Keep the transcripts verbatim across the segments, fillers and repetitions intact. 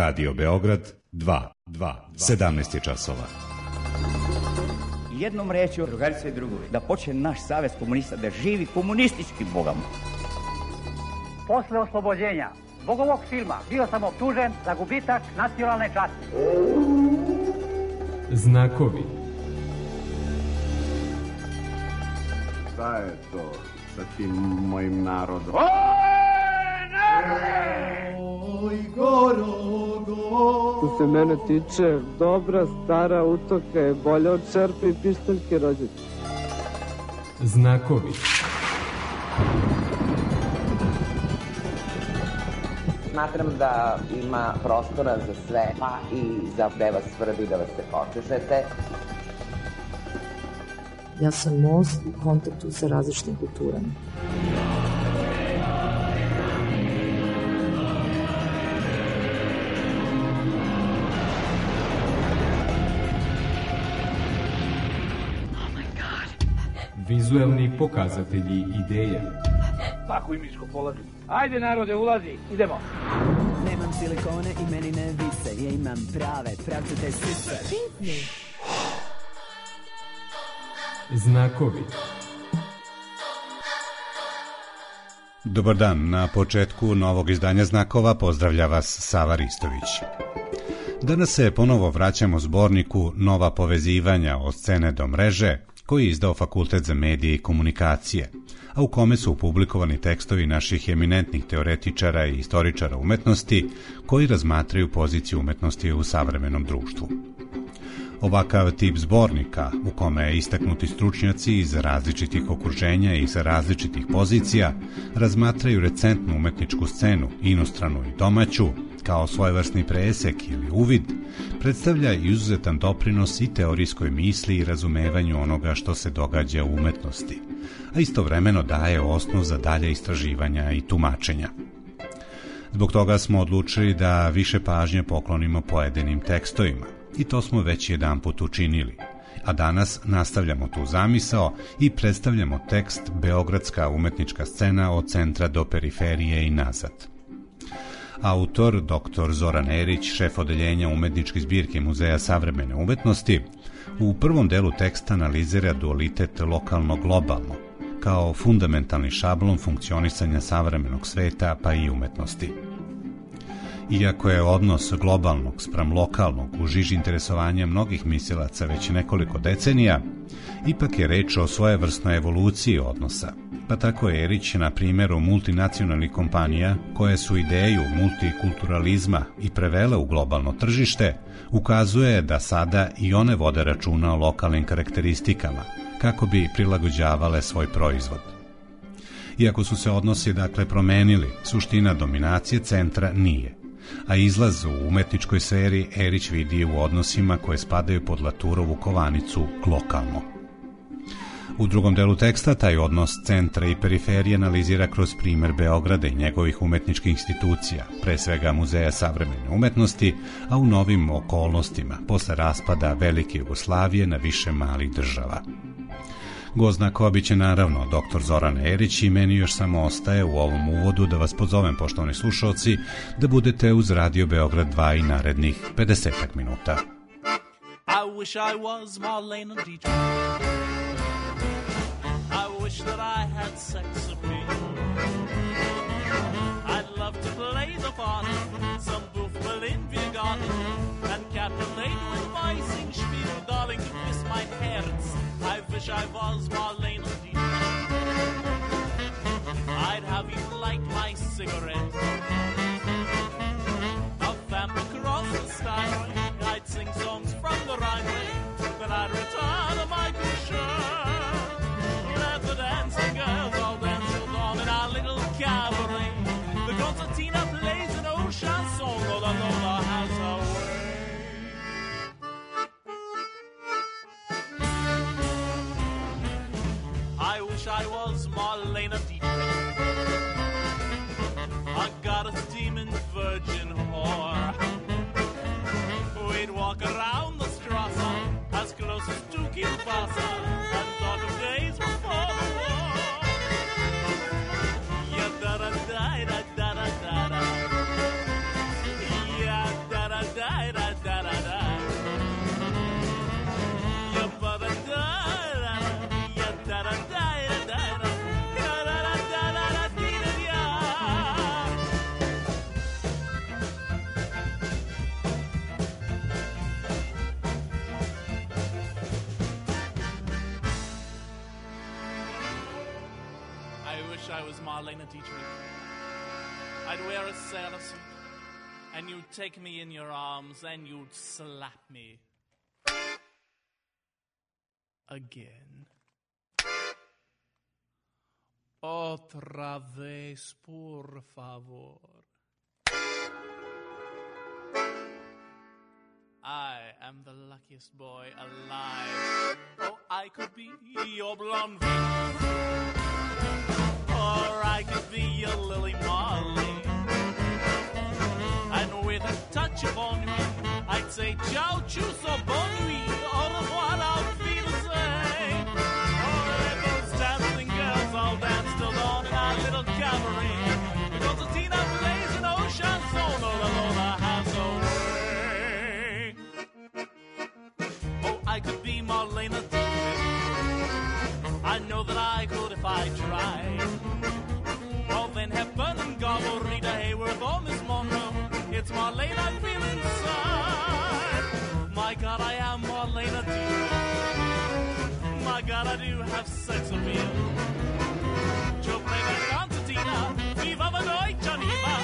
Radio Beograd dva, sedamnaest je časova. Jednom rečju, drugarice i drugovi, da počne naš savez komunista da živi komunistički bogom. Posle oslobođenja zbog ovog filma bio sam optužen za gubitak nacionalne časti. Znakovi. Šta je to sa tim mojim narodom? Oj, Gorogo! Što se mene tiče, dobra stara utoka je bolja od čerpe i pištaljke rođete. Znakovi. Smatram da ima prostora za sve, pa i za gde vas svrbi da vas se počešete. Ja sam most u kontaktu sa različitim kulturama. Vizuelni pokazatelji ideja. Svako imičko polazi. Ajde narode, ulazi, idemo. Nemam silikone i meni ne vise. Ja imam prave, pravcate sise. Znakovi. Dobar dan, na početku novog izdanja Znakova pozdravlja vas Sava Ristović. Danas se ponovo vraćamo zborniku Nova povezivanja od scene do mreže, koji je izdao Fakultet za medije i komunikacije, a u kome su publikovani tekstovi naših eminentnih teoretičara i istoričara umetnosti koji razmatraju poziciju umetnosti u savremenom društvu. Ovakav tip zbornika, u kome istaknuti stručnjaci iz različitih okruženja i sa različitih pozicija razmatraju recentnu umetničku scenu, inostranu i domaću, kao svojevrsni presek ili uvid, predstavlja izuzetan doprinos i teorijskoj misli i razumevanju onoga što se događa u umetnosti, a istovremeno daje osnov za dalje istraživanja i tumačenja. Zbog toga smo odlučili da više pažnje poklonimo pojedinim tekstovima, i to smo već jedanput učinili, a danas nastavljamo tu zamisao i predstavljamo tekst Beogradska umetnička scena od centra do periferije i nazad. Autor, doktor Zoran Erić, šef odeljenja umetničke zbirke Muzeja savremene umetnosti, u prvom delu teksta analizira dualitet lokalno-globalno, kao fundamentalni šablon funkcionisanja savremenog sveta pa i umetnosti. Iako je odnos globalnog spram lokalnog u žiži interesovanja mnogih mislilaca već nekoliko decenija, ipak je reč o svojevrsnoj evoluciji odnosa, pa tako je Erić na primjeru multinacionalnih kompanija koje su ideju multikulturalizma i prevele u globalno tržište, ukazuje da sada i one vode računa o lokalnim karakteristikama, kako bi prilagođavale svoj proizvod. Iako su se odnosi dakle promenili, suština dominacije centra nije, a izlaz u umetničkoj sferi Erić vidi u odnosima koje spadaju pod Laturovu kovanicu lokalno. U drugom delu teksta taj odnos centra i periferije analizira kroz primer Beograda i njegovih umetničkih institucija, pre svega Muzeja savremene umetnosti, a u novim okolnostima, posle raspada Velike Jugoslavije na više malih država. Gost Znakova biće naravno doktor Zoran Erić i meni još samo ostaje u ovom uvodu da vas pozovem, poštovani slušalci, da budete uz Radio Beograd dva i narednih pedesetak minuta. I wish I was Marlene Dietrich. I wish that I had sex appeal. I'd love to play the part of some boof Berlin Biergarten and captivate with my Singspiel, darling, to kiss my Herz. I wish I was Marlene Dietrich. I'd have you light my cigarette. A vamp across the sky. I'd sing songs from the Rhine. Then I'd return to my shirt. Let the dancing girls all dance till dawn in our little cabaret. The concertina plays an old chanson all along the house away. I wish I was Marlene Dietrich. I got a steaming virgin whore. We'd walk around the Strasse as close as to Kielbasa and talk of days before the war. Yeah, da da da da da da da da. Yeah, was Marlena Dietrich. I'd wear a sailor suit, and you'd take me in your arms, and you'd slap me. Again. Otra vez, por favor. I am the luckiest boy alive. Oh, I could be your blonde Venus, or I could be your Lily Marley. And with a touch of ennui, I'd say ciao, tschüss, or bon nuit, au revoir, auf Wiedersehen. Oh, let those dancing girls all dance till dawn in our little cabaret. Because the Tina plays an old chanson, all alone I have so way. Oh, I could be Marlena Dietrich. I know that I could if I tried. Oh, then Hepburn and Garbo, Rita Hayworth, or Miss Monroe. It's Marlene I feel inside. My God, I am Marlena Dietrich. My God, I do have sex appeal. Joe playback concertina, Viva Vanoy, Geneva.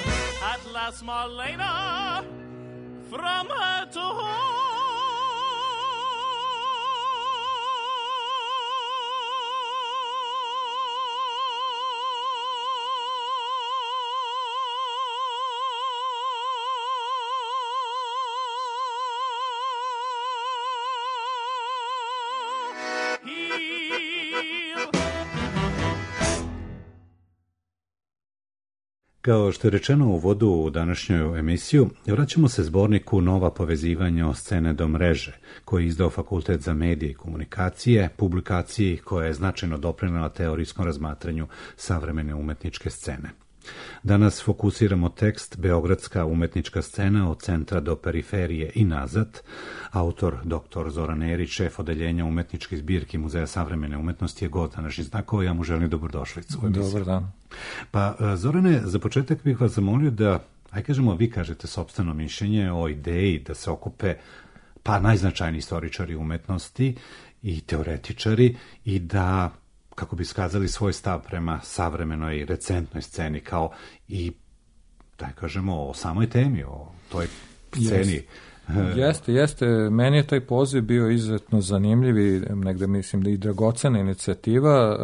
At last, Marlena, from her to home. Kao što je rečeno u uvodu u današnju emisiju, vraćamo se zborniku Nova povezivanja od scene do mreže, koji je izdao Fakultet za medije i komunikacije, publikaciji koja je značajno doprinela teorijskom razmatranju savremene umetničke scene. Danas fokusiramo tekst Beogradska umetnička scena od centra do periferije i nazad. Autor doktor Zoran Erić, šef odeljenja umetničke zbirke Muzeja savremene umetnosti, je gost današnjih znakova. Ja mu želim dobrodošlicu. Dobar dan. Pa, Zorane, za početak bih vas zamolio da, aj kažemo, vi kažete sopstveno mišljenje o ideji da se okupe pa najznačajniji istoričari umetnosti i teoretičari i da, kako bi skazali svoj stav prema savremenoj recentnoj sceni, kao i, da kažemo, o samoj temi, o toj sceni. Jeste, jeste. jeste. Meni je taj poziv bio izuzetno zanimljiv i negde mislim da i dragocena inicijativa.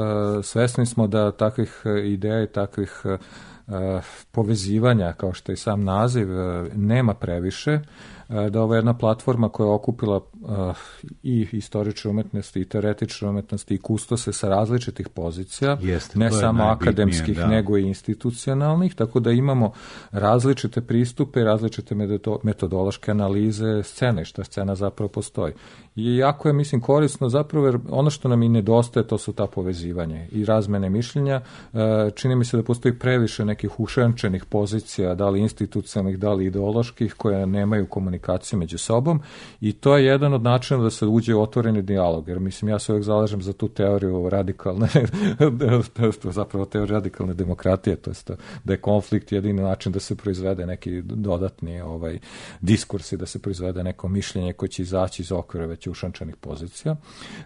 Svesni smo da takvih ideja i takvih povezivanja, kao što je sam naziv, nema previše, da ovo je jedna platforma koja je okupila uh, i istorične umetnosti i teoretične umetnosti i kustose sa različitih pozicija, Jeste, ne samo akademskih, da. nego i institucionalnih, tako da imamo različite pristupe, različite metodološke analize scene, šta scena zapravo postoji. I jako je, mislim, korisno zapravo, jer ono što nam i nedostaje, to su ta povezivanje i razmene mišljenja. Čini mi se da postoji previše nekih ušenčenih pozicija, da li institucionalnih, da li ideoloških, koje nemaju komunikaciju među sobom, i to je jedan od načina da se uđe u otvoreni dijalog, jer mislim, ja se uvijek zalažem za tu teoriju radikalne, zapravo teoriju radikalne demokratije, to jest da je konflikt jedini način da se proizvede neki dodatni ovaj, diskurs i da se proizvede neko mišljenje koje će izaći iz okvira već ušančanih pozicija.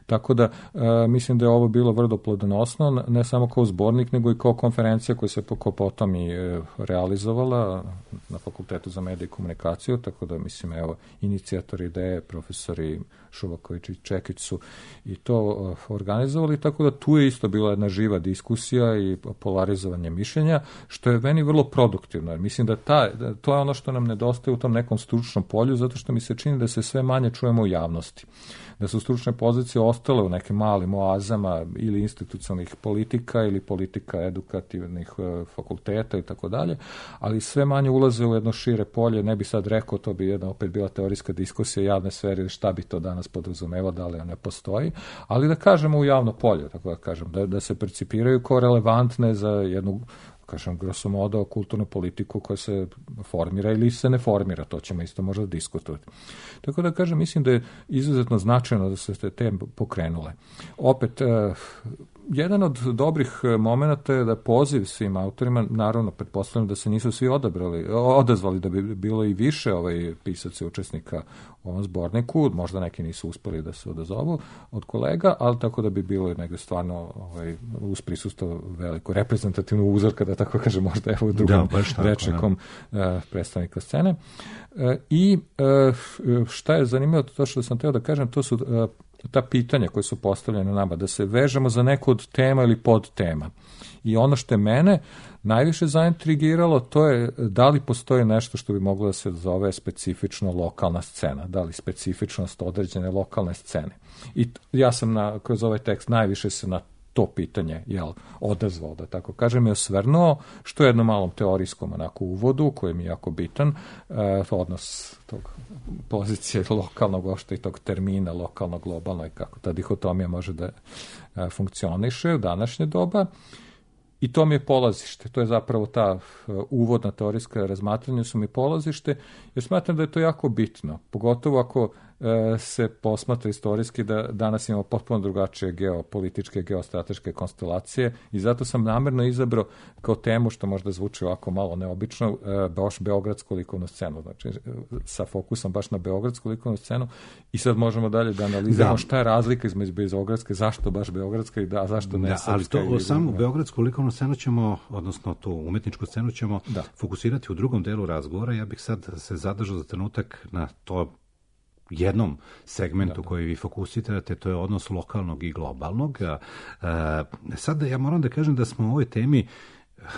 Tako da e, mislim da je ovo bilo vrlo plodonosno, ne samo kao zbornik, nego i kao konferencija koja se potom i e, realizovala na Fakultetu za medije i komunikaciju, tako da mislim, evo, inicijatori ideje, profesori Šuvaković i Čekić su i to organizovali, tako da tu je isto bila jedna živa diskusija i polarizovanje mišljenja, što je meni vrlo produktivno. Mislim da, ta, da to je ono što nam nedostaje u tom nekom stručnom polju, zato što mi se čini da se sve manje čujemo u javnosti. Da su stručne pozicije ostale u nekim malim oazama ili institucionalnih politika ili politika edukativnih fakulteta i tako dalje, ali sve manje ulaze u jedno šire polje. Ne bi sad rekao, to bi jedna opet bila teorijska diskusija javne sfere, šta bi to danas podrazumeva, da li ne postoji, ali da kažemo u javno polje, tako da kažem, da, da se percipiraju kao relevantne za jednu, kažem, grosso modo, kulturnu politiku koja se formira ili se ne formira, to ćemo isto možda diskutovati. Tako da, kažem, mislim da je izuzetno značajno da se te teme pokrenule. Opet, jedan od dobrih momenata je da poziv svim autorima, naravno pretpostavljam da se nisu svi odabrali, odazvali, da bi bilo i više ovaj pisaca i učesnika u ovom zborniku, možda neki nisu uspeli da se odazovu od kolega, ali tako da bi bilo negde stvarno ovaj, uz prisustvo veliko reprezentativno uzorka, da tako kaže, možda evo u drugom da, rečnikom uh, predstavnika scene. Uh, I uh, šta je zanimljivo, to što sam teo da kažem, to su uh, ta pitanja koje su postavljene nama, da se vežemo za neku od tema ili pod tema. I ono što je mene najviše zaintrigiralo, to je da li postoji nešto što bi moglo da se zove specifično lokalna scena, da li specifičnost određene lokalne scene. I ja sam na, kroz ovaj tekst najviše se na to pitanje jel, odazvao, da tako kažem, je osvrnuo, što je jednom malom teorijskom onako uvodu, koji mi je jako bitan, eh, odnos tog pozicije lokalnog, ošte i tog termina lokalno, globalno i kako ta dihotomija može da eh, funkcioniše u današnje doba. I to mi je polazište, to je zapravo ta uh, uvodna teorijska razmatranja su mi polazište, jer smatram da je to jako bitno, pogotovo ako uh, se posmatra istorijski da danas imamo potpuno drugačije geopolitičke, geostrateške konstelacije i zato sam namjerno izabrao kao temu, što možda zvuči ovako malo neobično, uh, baš beogradsku likovnu scenu, znači sa fokusom baš na beogradsku likovnu scenu i sad možemo dalje da analiziramo da. Šta je razlika između beogradske, zašto baš beogradska i da, zašto ne da, srpska. Ali to samo beogradsku likovnu scenu ćemo, odnosno tu umetničku scenu ćemo da. fokusirati u drugom delu razgovora. Ja bih sad se zadržao za trenutak na to jednom segmentu da, da. koji vi fokusirate, to je odnos lokalnog i globalnog. E, sad ja moram da kažem da smo o ovoj temi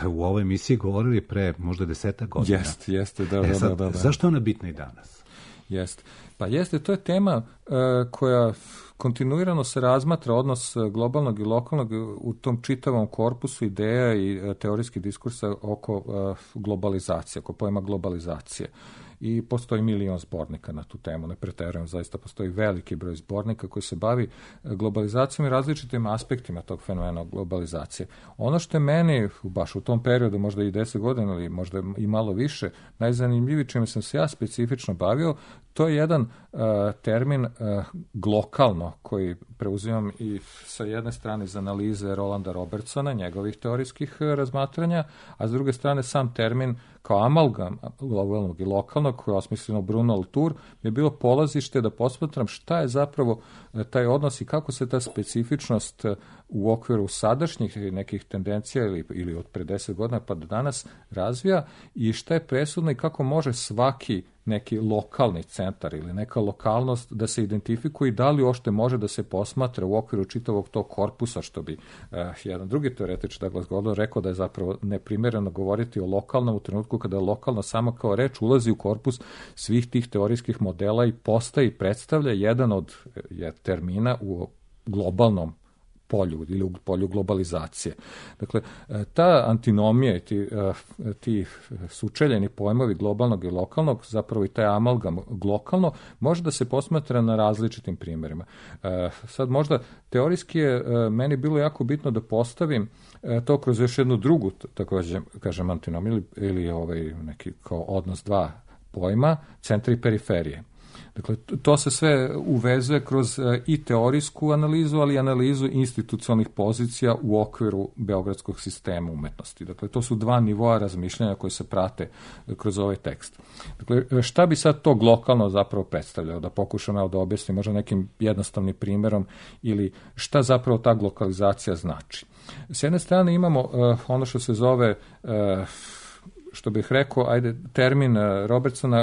u ovoj emisiji govorili pre možda desetak godina. Jeste, jeste, da, e, sad, da, da, da. Zašto je ona bitna i danas? Jeste. Pa jeste, to je tema uh, koja kontinuirano se razmatra odnos globalnog i lokalnog u tom čitavom korpusu ideja i uh, teorijskih diskursa oko uh, globalizacije, oko pojma globalizacije. I postoji milion zbornika na tu temu, ne preterujem, zaista postoji veliki broj zbornika koji se bavi globalizacijom i različitim aspektima tog fenomena globalizacije. Ono što je meni, baš u tom periodu, možda i deset godina ili možda i malo više, najzanimljiviji čime sam se ja specifično bavio, to je jedan uh, termin uh, glokalno koji preuzimam i sa jedne strane iz analize Rolanda Robertsona, njegovih teorijskih uh, razmatranja, a s druge strane sam termin kao amalgam globalnog i lokalnog koje je osmisleno Bruno Latour je bilo polazište da posmatram šta je zapravo uh, taj odnos i kako se ta specifičnost uh, u okviru sadašnjih nekih tendencija ili, ili od pre deset godina pa do danas razvija i šta je presudno i kako može svaki neki lokalni centar ili neka lokalnost da se identifikuje i da li uopšte može da se posmatra u okviru čitavog tog korpusa, što bi uh, jedan drugi teoretič Douglas Gordon rekao da je zapravo neprimereno govoriti o lokalnom u trenutku kada je lokalno samo kao reč ulazi u korpus svih tih teorijskih modela i postaje i predstavlja jedan od je, termina u globalnom polju ili u polju globalizacije. Dakle, ta antinomija i ti, ti sučeljeni pojmovi globalnog i lokalnog, zapravo i taj amalgam glokalno, može da se posmatra na različitim primjerima. Sad možda teorijski je meni bilo jako bitno da postavim to kroz još jednu drugu, tako kažem, antinomiju ili, ili ovaj neki kao odnos dva pojma, centra i periferije. Dakle, to se sve uvezuje kroz i teorijsku analizu, ali i analizu institucionalnih pozicija u okviru beogradskog sistema umetnosti. Dakle, to su dva nivoa razmišljanja koje se prate kroz ovaj tekst. Dakle, šta bi sad to lokalno zapravo predstavljao? Da pokušam ja da objasnim možda nekim jednostavnim primjerom ili šta zapravo ta lokalizacija znači. S jedne strane imamo uh, ono što se zove uh, što bih rekao, ajde, termin Robertsona,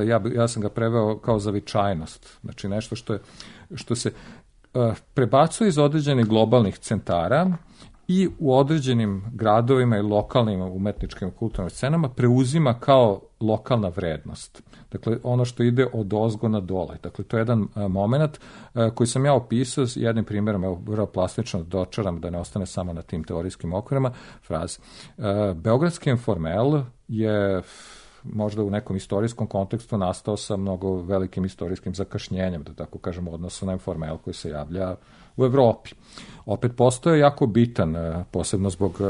ja, ja sam ga preveo kao zavičajnost. Znači nešto što, je, što se uh, prebacuje iz određenih globalnih centara i u određenim gradovima i lokalnim umetničkim kulturnim scenama preuzima kao lokalna vrednost. Dakle, ono što ide od ozgo na dole. Dakle, to je jedan uh, moment uh, koji sam ja opisao s jednim primjerom, evo, vrlo plastično dočaram da ne ostane samo na tim teorijskim okvirima, fraze. Uh, Beogradski informel je možda u nekom istorijskom kontekstu nastao sa mnogo velikim istorijskim zakašnjenjem, da tako kažemo, odnosu na informel koji se javlja u Evropi. Opet postoje jako bitan, posebno zbog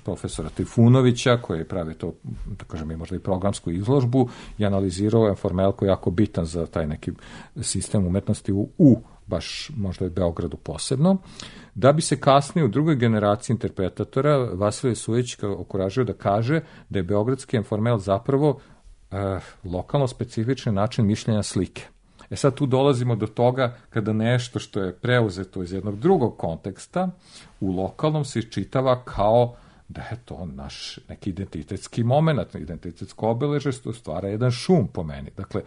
profesora Trifunovića, koji pravi to, da kažem, i možda i programsku izložbu i analizirao informel koji je jako bitan za taj neki sistem umetnosti u, u baš možda i Beogradu posebno. da bi se kasnije u drugoj generaciji interpretatora Vasilije Sujić okuražio da kaže da je beogradski informel zapravo e, lokalno specifičan način mišljenja slike. E sad tu dolazimo do toga kada nešto što je preuzeto iz jednog drugog konteksta u lokalnom se iščitava kao da je to naš neki identitetski moment, identitetsko obeležje, što stvara jedan šum po meni. Dakle,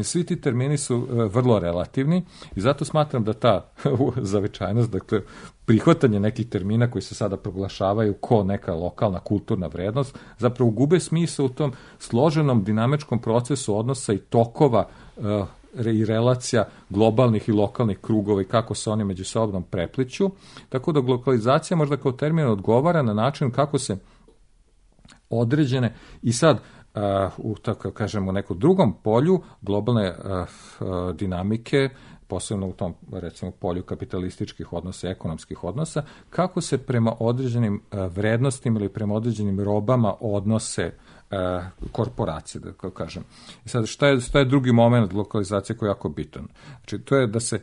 svi ti termini su e, vrlo relativni i zato smatram da ta zavičajnost, dakle, prihvatanje nekih termina koji se sada proglašavaju ko neka lokalna kulturna vrednost, zapravo gube smisao u tom složenom dinamičkom procesu odnosa i tokova e, i relacija globalnih i lokalnih krugova i kako se oni međusobno prepliću, tako da lokalizacija možda kao termin odgovara na način kako se određene i sad uh, u tako kažemo nekom drugom polju globalne uh, uh, dinamike, posebno u tom recimo polju kapitalističkih odnosa, ekonomskih odnosa, kako se prema određenim uh, vrednostima ili prema određenim robama odnose korporacije, da kažem. I sad, šta je, šta je drugi moment lokalizacije koji je jako bitan? Znači, to je da se,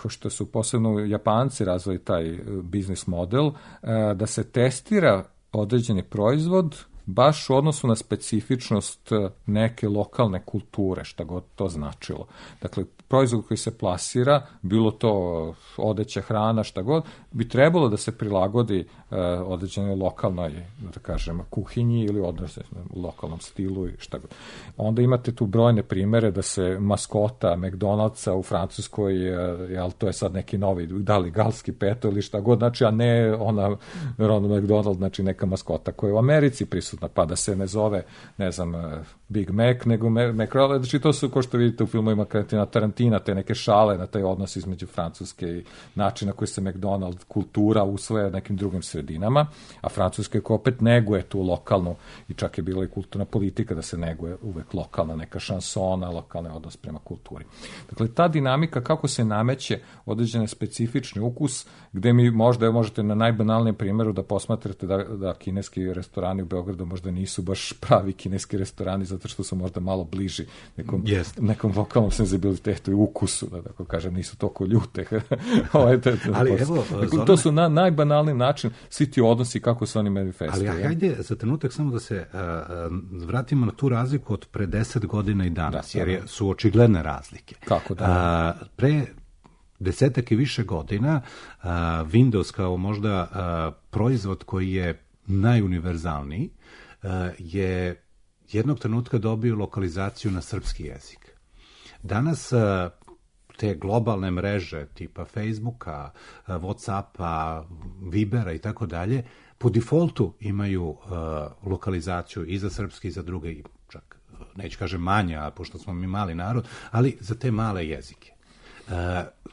što su posebno Japanci razvili taj biznis model, da se testira određeni proizvod baš u odnosu na specifičnost neke lokalne kulture, šta god to značilo. Dakle, proizvod koji se plasira, bilo to odeća, hrana, šta god, bi trebalo da se prilagodi uh, određenoj lokalnoj, da kažem, kuhinji ili odnosno u lokalnom stilu i šta god. Onda imate tu brojne primere da se maskota McDonald'sa u Francuskoj, uh, jel, to je sad neki novi, da li galski peto ili šta god, znači, a ne ona Ronald McDonald, znači neka maskota koja je u Americi prisutna, pa da se ne zove, ne znam, Big Mac, nego McRae, znači to su, ko što vidite u filmovima Quentina Tarantina, te neke šale na taj odnos između Francuske i načina koji se McDonald kultura usvaja nekim drugim sredinama, a Francuska koja opet neguje tu lokalnu, i čak je bila i kulturna politika da se neguje uvek lokalna neka šansona, lokalni odnos prema kulturi. Dakle, ta dinamika kako se nameće određene specifični ukus, gde mi možda možete na najbanalnijem primjeru da posmatrate da, da kineski restorani u Beogradu možda nisu baš pravi kineski restorani, zato što su možda malo bliži nekom, yes. nekom lokalnom senzibilitetu i ukusu, da tako kažem, nisu toliko ljute. Ali evo, dakle, to su na najbanalniji način svi ti odnosi kako se oni manifestuju. Ali hajde za trenutak samo da se uh, vratimo na tu razliku od pre deset godina i danas, da, jer je, su očigledne razlike. Kako da? Uh, pre desetak i više godina uh, Windows kao možda uh, proizvod koji je najuniverzalniji uh, je jednog trenutka dobio lokalizaciju na srpski jezik. Danas uh, te globalne mreže tipa Facebooka, uh, Whatsappa, Vibera i tako dalje, po defaultu imaju uh, lokalizaciju i za srpski i za druge, čak neću kažem manje, a pošto smo mi mali narod, ali za te male jezike. Uh,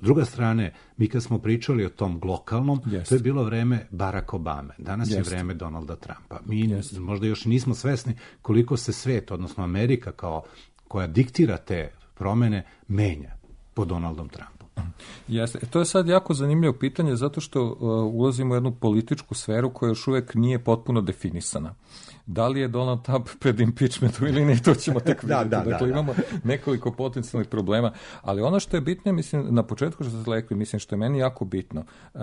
s druge strane, mi kad smo pričali o tom glokalnom, yes. to je bilo vreme Barack Obame. Danas yes. je vreme Donalda Trumpa. Mi yes. možda još nismo svesni koliko se svet, odnosno Amerika kao koja diktira te promene, menja pod Donaldom Trumpom. Jeste. To je sad jako zanimljivo pitanje zato što uh, ulazimo u jednu političku sferu koja još uvek nije potpuno definisana. Da li je Donald Trump pred impeachmentom ili ne, to ćemo tek vidjeti. da, da, dakle, da, imamo da. nekoliko potencijalnih problema, ali ono što je bitno, mislim, na početku što ste rekli, mislim, što je meni jako bitno, uh,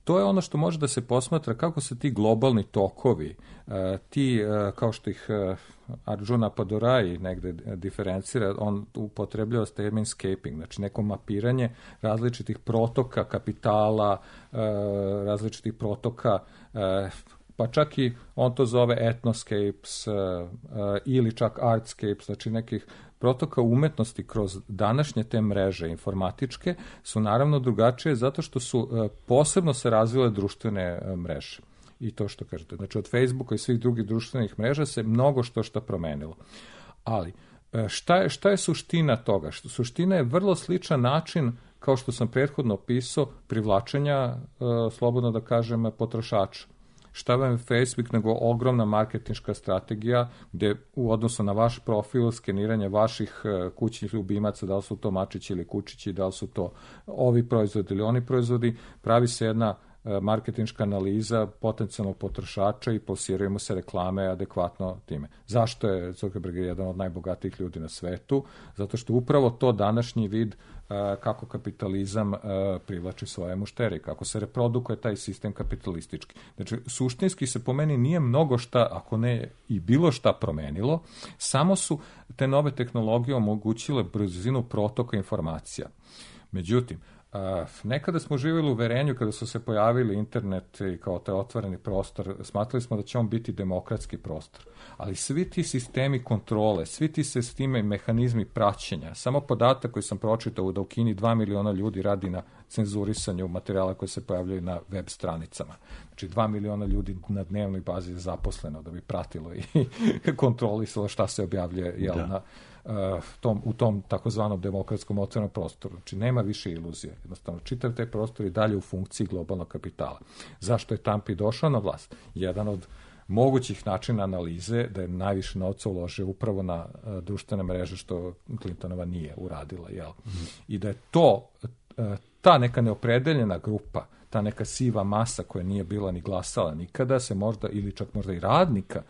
to je ono što može da se posmatra kako se ti globalni tokovi, uh, ti, uh, kao što ih uh, Arjuna Padorai negde diferencira, on upotrebljava termin scaping, znači neko mapiranje različitih protoka kapitala, uh, različitih protoka, uh, pa čak i on to zove ethnoscapes uh, uh, ili čak artscapes, znači nekih protoka umetnosti kroz današnje te mreže informatičke su naravno drugačije zato što su uh, posebno se razvile društvene uh, mreže. I to što kažete. Znači od Facebooka i svih drugih društvenih mreža se mnogo što što promenilo. Ali šta je, šta je suština toga? Suština je vrlo sličan način, kao što sam prethodno opisao, privlačenja, uh, slobodno da kažem, potrošača. Šta vam je Facebook nego ogromna marketinška strategija gdje u odnosu na vaš profil, skeniranje vaših kućnih ljubimaca, da li su to mačići ili kučići, da li su to ovi proizvodi ili oni proizvodi, pravi se jedna marketinška analiza potencijalnog potrošača i plasiraju se reklame adekvatno time. Zašto je Zuckerberg jedan od najbogatijih ljudi na svetu? Zato što upravo to današnji vid kako kapitalizam privlači svoje mušterije, kako se reprodukuje taj sistem kapitalistički. Znači, suštinski se po meni nije mnogo šta, ako ne i bilo šta promenilo, samo su te nove tehnologije omogućile brzinu protoka informacija. Međutim, Uh, nekada smo živjeli u uverenju kada su se pojavili internet i kao taj otvoreni prostor, smatrali smo da će on biti demokratski prostor. Ali svi ti sistemi kontrole, svi ti sistemi mehanizmi praćenja, samo podatak koji sam pročitao da u Kini dva miliona ljudi radi na cenzurisanju materijala koji se pojavljaju na web stranicama. Znači dva miliona ljudi na dnevnoj bazi je zaposleno da bi pratilo i kontrolisalo šta se objavljuje jel, na Uh, tom, u tom takozvanom demokratskom otvorenom prostoru. Znači, nema više iluzije. Jednostavno, čitav taj prostor i dalje u funkciji globalnog kapitala. Zašto je Trump i došao na vlast? Jedan od mogućih načina analize da je najviše novca uložio upravo na uh, društvene mreže, što Clintonova nije uradila. Jel? Mm-hmm. I da je to, uh, ta neka neopredeljena grupa, ta neka siva masa koja nije bila ni glasala nikada, se možda, ili čak možda i radnika,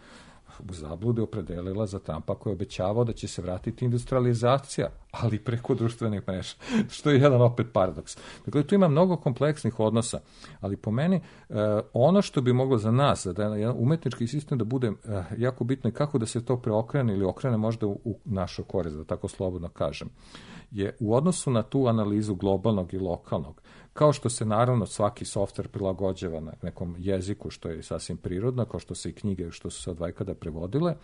u zablude opredelila za Trumpa koji je obećavao da će se vratiti industrializacija, ali preko društvenih mreža, što je jedan opet paradoks. Dakle, tu ima mnogo kompleksnih odnosa, ali po meni eh, ono što bi moglo za nas, da je jedan umetnički sistem da bude eh, jako bitno i kako da se to preokrene ili okrene možda u, u našu korist, da tako slobodno kažem, je u odnosu na tu analizu globalnog i lokalnog, kao što se naravno svaki softver prilagođava na nekom jeziku, što je sasvim prirodno, kao što se i knjige, što su se od vajkada prevodile,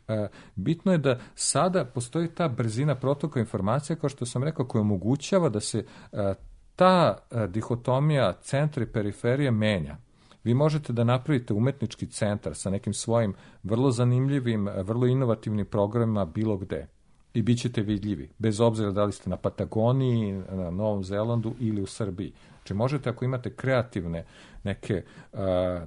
e, bitno je da sada postoji ta brzina protoka informacija, kao što sam rekao, koja omogućava da se e, ta e, dihotomija centra i periferije menja. Vi možete da napravite umetnički centar sa nekim svojim vrlo zanimljivim, vrlo inovativnim programima bilo gde. I bit ćete vidljivi, bez obzira da li ste na Patagoniji, na Novom Zelandu ili u Srbiji. Znači možete, ako imate kreativne neke,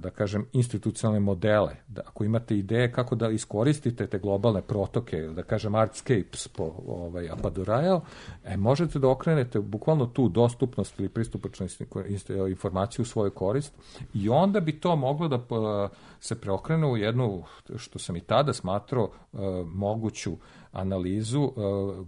da kažem, institucionalne modele, da ako imate ideje kako da iskoristite te globalne protoke, da kažem artscapes po ovaj, Apadurajal, e, možete da okrenete bukvalno tu dostupnost ili pristupačnost informaciju u svoju korist i onda bi to moglo da se preokrene u jednu, što sam i tada smatrao, moguću analizu uh,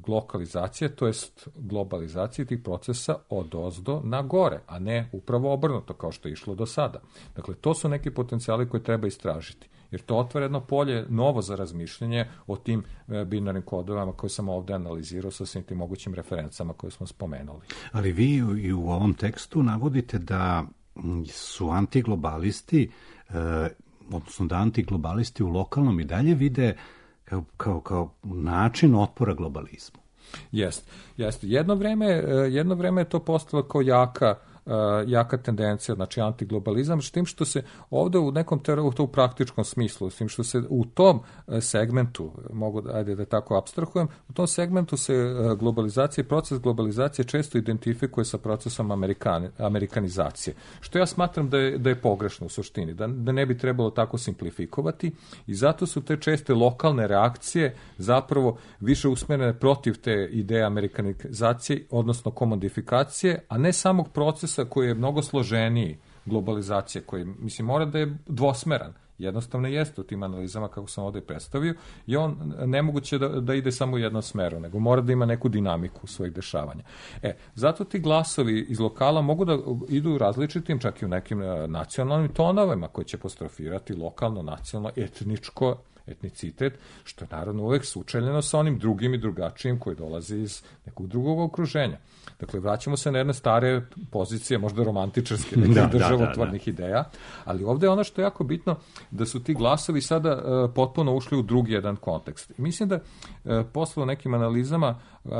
lokalizacije, to jest globalizacije tih procesa od ozdo na gore, a ne upravo obrnuto kao što je išlo do sada. Dakle, to su neki potencijali koje treba istražiti, jer to otvara jedno polje novo za razmišljanje o tim uh, binarnim kodovama koje sam ovde analizirao sa svim tim mogućim referencama koje smo spomenuli. Ali vi i u ovom tekstu navodite da su antiglobalisti, uh, odnosno da antiglobalisti u lokalnom i dalje vide Kao, kao, kao način otpora globalizmu. Jeste, jeste. Jedno vreme, jedno vreme je to postalo kao jaka, jaka tendencija, znači antiglobalizam, s tim što se ovde u nekom teru, to u praktičkom smislu, s tim što se u tom segmentu, mogu ajde da tako apstrahujem, u tom segmentu se globalizacija, proces globalizacije često identifikuje sa procesom amerikan, amerikanizacije, što ja smatram da je, da je pogrešno u suštini, da, da ne bi trebalo tako simplifikovati i zato su te česte lokalne reakcije zapravo više usmerene protiv te ideje amerikanizacije, odnosno komodifikacije, a ne samog procesa koji je mnogo složeniji globalizacije, koji, mislim, mora da je dvosmeran. Jednostavno jeste u tim analizama, kako sam ovde predstavio, i on nemoguće da, da ide samo u jednom smeru, nego mora da ima neku dinamiku svojih dešavanja. E, zato ti glasovi iz lokala mogu da idu u različitim, čak i u nekim nacionalnim tonovima koji će apostrofirati lokalno, nacionalno, etničko, etnicitet, što je naravno uvek sučeljeno sa onim drugim i drugačijim koji dolazi iz nekog drugog okruženja. Dakle, vraćamo se na jedne stare pozicije, možda romantičarske, nekih da, državotvornih da, da, da. ideja, ali ovde je ono što je jako bitno, da su ti glasovi sada uh, potpuno ušli u drugi jedan kontekst. I mislim da uh, posle u nekim analizama, uh,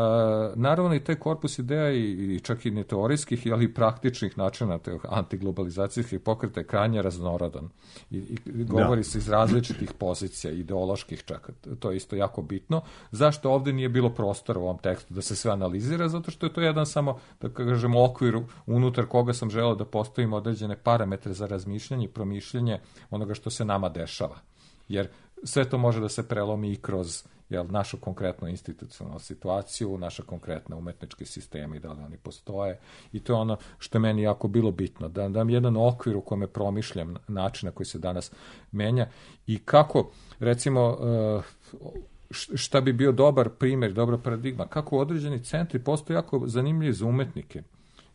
naravno i taj korpus ideja i, i čak i ne teorijskih, ali i praktičnih načina te antiglobalizacijskih pokreta je krajnje raznorodan. I, i govori da. se iz različitih pozicija, ideoloških čak. To je isto jako bitno. Zašto ovde nije bilo prostora u ovom tekstu da se sve analizira? Zato što je to jedan samo, da kažemo, okvir unutar koga sam želeo da postavim određene parametre za razmišljanje i promišljanje onoga što se nama dešava. Jer sve to može da se prelomi i kroz jel, našu konkretnu institucionalnu situaciju, naše konkretne umetničke sisteme i da li oni postoje. I to je ono što je meni jako bilo bitno, da dam jedan okvir u kome promišljam način na koji se danas menja i kako, recimo, šta bi bio dobar primjer, dobra paradigma, kako određeni centri postoje jako zanimljivi za umetnike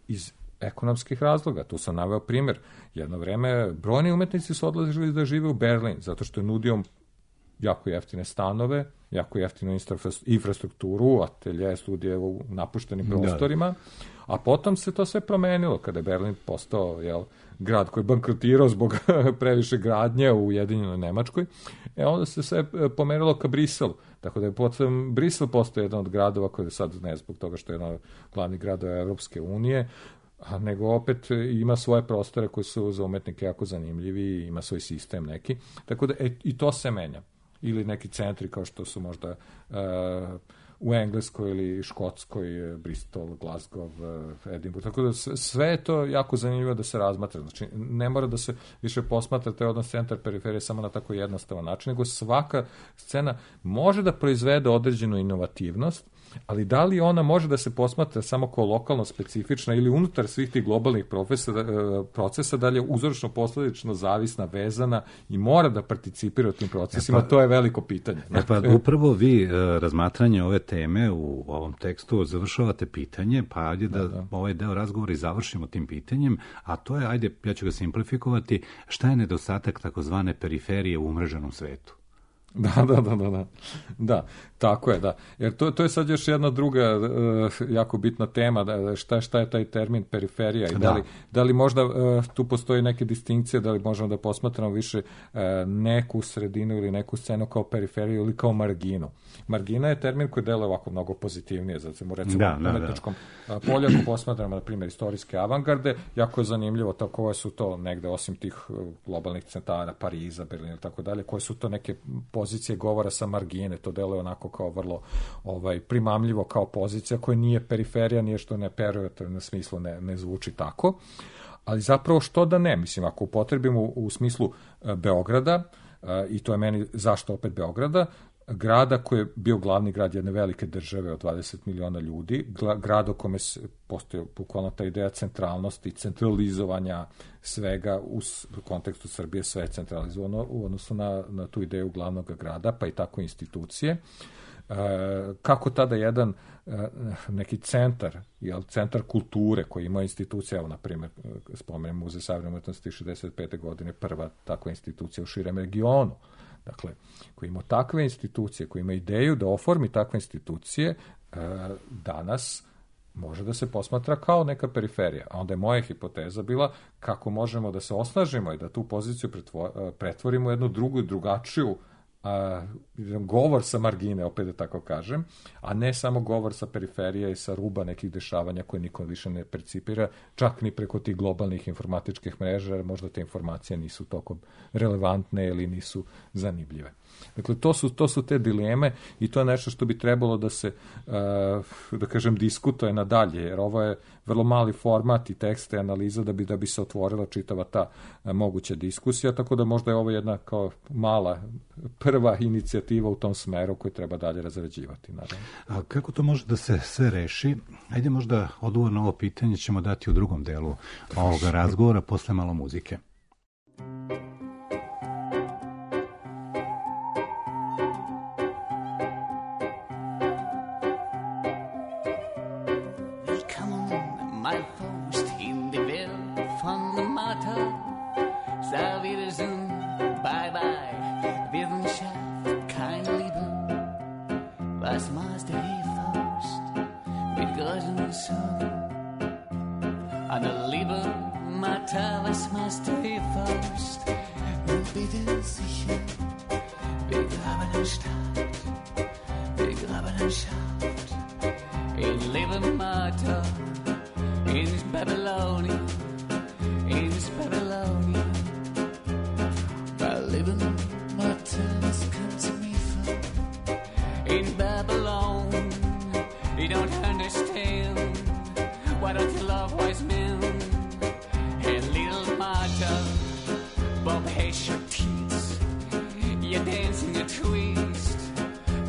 iz ekonomskih razloga. Tu sam naveo primjer. Jedno vreme brojni umetnici su odlazili da žive u Berlin, zato što je nudio jako jeftine stanove, jako jeftinu infrastrukturu, atelje, studije u napuštenim prostorima, da. A potom se to sve promenilo kada je Berlin postao, jel, grad koji je bankrotirao zbog previše gradnje u Ujedinjenoj Nemačkoj, e onda se sve pomerilo ka Briselu. Tako da je potom Brisel postao jedan od gradova koji je sad, ne zbog toga što je jedan od glavnih gradova Evropske unije, a nego opet ima svoje prostore koji su za umetnike jako zanimljivi, ima svoj sistem neki. Tako da e, i to se menja. Ili neki centri kao što su možda uh, u Engleskoj ili Škotskoj, Bristol, Glasgow, Edinburgh. Tako da sve je to jako zanimljivo da se razmatra. Znači, ne mora da se više posmatra taj odnos centar-periferije samo na tako jednostavan način, nego svaka scena može da proizvede određenu inovativnost, ali da li ona može da se posmatra samo kao lokalno specifična ili unutar svih tih globalnih profesa, procesa, da li je uzročno posledično zavisna, vezana i mora da participira u tim procesima, e pa, to je veliko pitanje. E pa upravo vi uh, razmatranje ove teme u ovom tekstu završavate pitanje, pa ajde da, da, da. ovaj deo razgovora i završimo tim pitanjem, a to je, ajde, ja ću ga simplifikovati, šta je nedostatak takozvane periferije u umreženom svetu? Da, da, da, da, da, da, tako je, da, jer to, to je sad još jedna druga uh, jako bitna tema, da, šta, šta je taj termin periferija i da, da, li, da li možda uh, tu postoji neke distinkcije, da li možemo da posmatramo više uh, neku sredinu ili neku scenu kao periferiju ili kao marginu. Margina je termin koji deluje ovako mnogo pozitivnije, znači recimo da, u umetničkom da. polju, ako posmatramo, na primjer, istorijske avangarde, jako je zanimljivo to koje su to negde, osim tih globalnih centara, Pariza, Berlina i tako dalje, koje su to neke pozicije govora sa margine, to deluje onako kao vrlo ovaj, primamljivo kao pozicija koja nije periferija, nije što ne pejorativno smislu ne, ne zvuči tako, ali zapravo što da ne, mislim, ako upotrebimo u, u smislu uh, Beograda, uh, i to je meni zašto opet Beograda, grada koji je bio glavni grad jedne velike države od dvadeset miliona ljudi, grad u kome postoji bukvalno ta ideja centralnosti, centralizovanja svega u kontekstu Srbije, sve je centralizovano u odnosu na, na tu ideju glavnog grada, pa i tako institucije. E, kako tada jedan e, neki centar, jel, centar kulture koji ima institucija, evo, na primjer, spomenem Muzej savremene umetnosti šezdeset pete godine, prva takva institucija u širem regionu, dakle, koji ima takve institucije, koji ima ideju da oformi takve institucije, danas može da se posmatra kao neka periferija. A onda je moja hipoteza bila kako možemo da se osnažimo i da tu poziciju pretvorimo u jednu drugu i drugačiju a, govor sa margine, opet da tako kažem, a ne samo govor sa periferije i sa ruba nekih dešavanja koje niko više ne percipira, čak ni preko tih globalnih informatičkih mreža, jer možda te informacije nisu toliko relevantne ili nisu zanimljive. Dakle, to su, to su te dileme i to je nešto što bi trebalo da se, da kažem, diskutuje nadalje, jer ovo je vrlo mali format i tekst i analiza da bi, da bi se otvorila čitava ta moguća diskusija, tako da možda je ovo jedna kao mala prva inicijativa u tom smeru koju treba dalje razrađivati. Naravno. A kako to može da se sve reši? Ajde, možda odgovor na ovo pitanje ćemo dati u drugom delu ovoga razgovora posle malo muzike.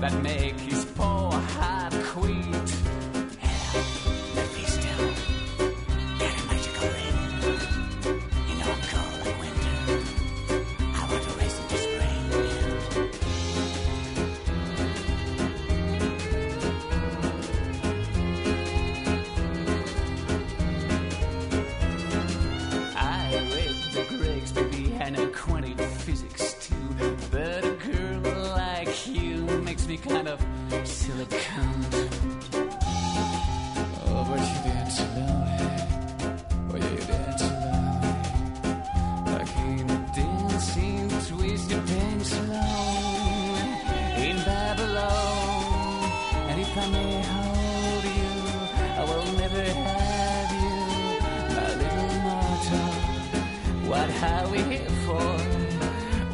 That may kind of silicone. Oh, but you dance so lonely. Oh, yeah, you dance so lonely. Like in a dancing, twisted dance alone in Babylon. And if I may hold you, I will never have you, my little mortal. What are we here for?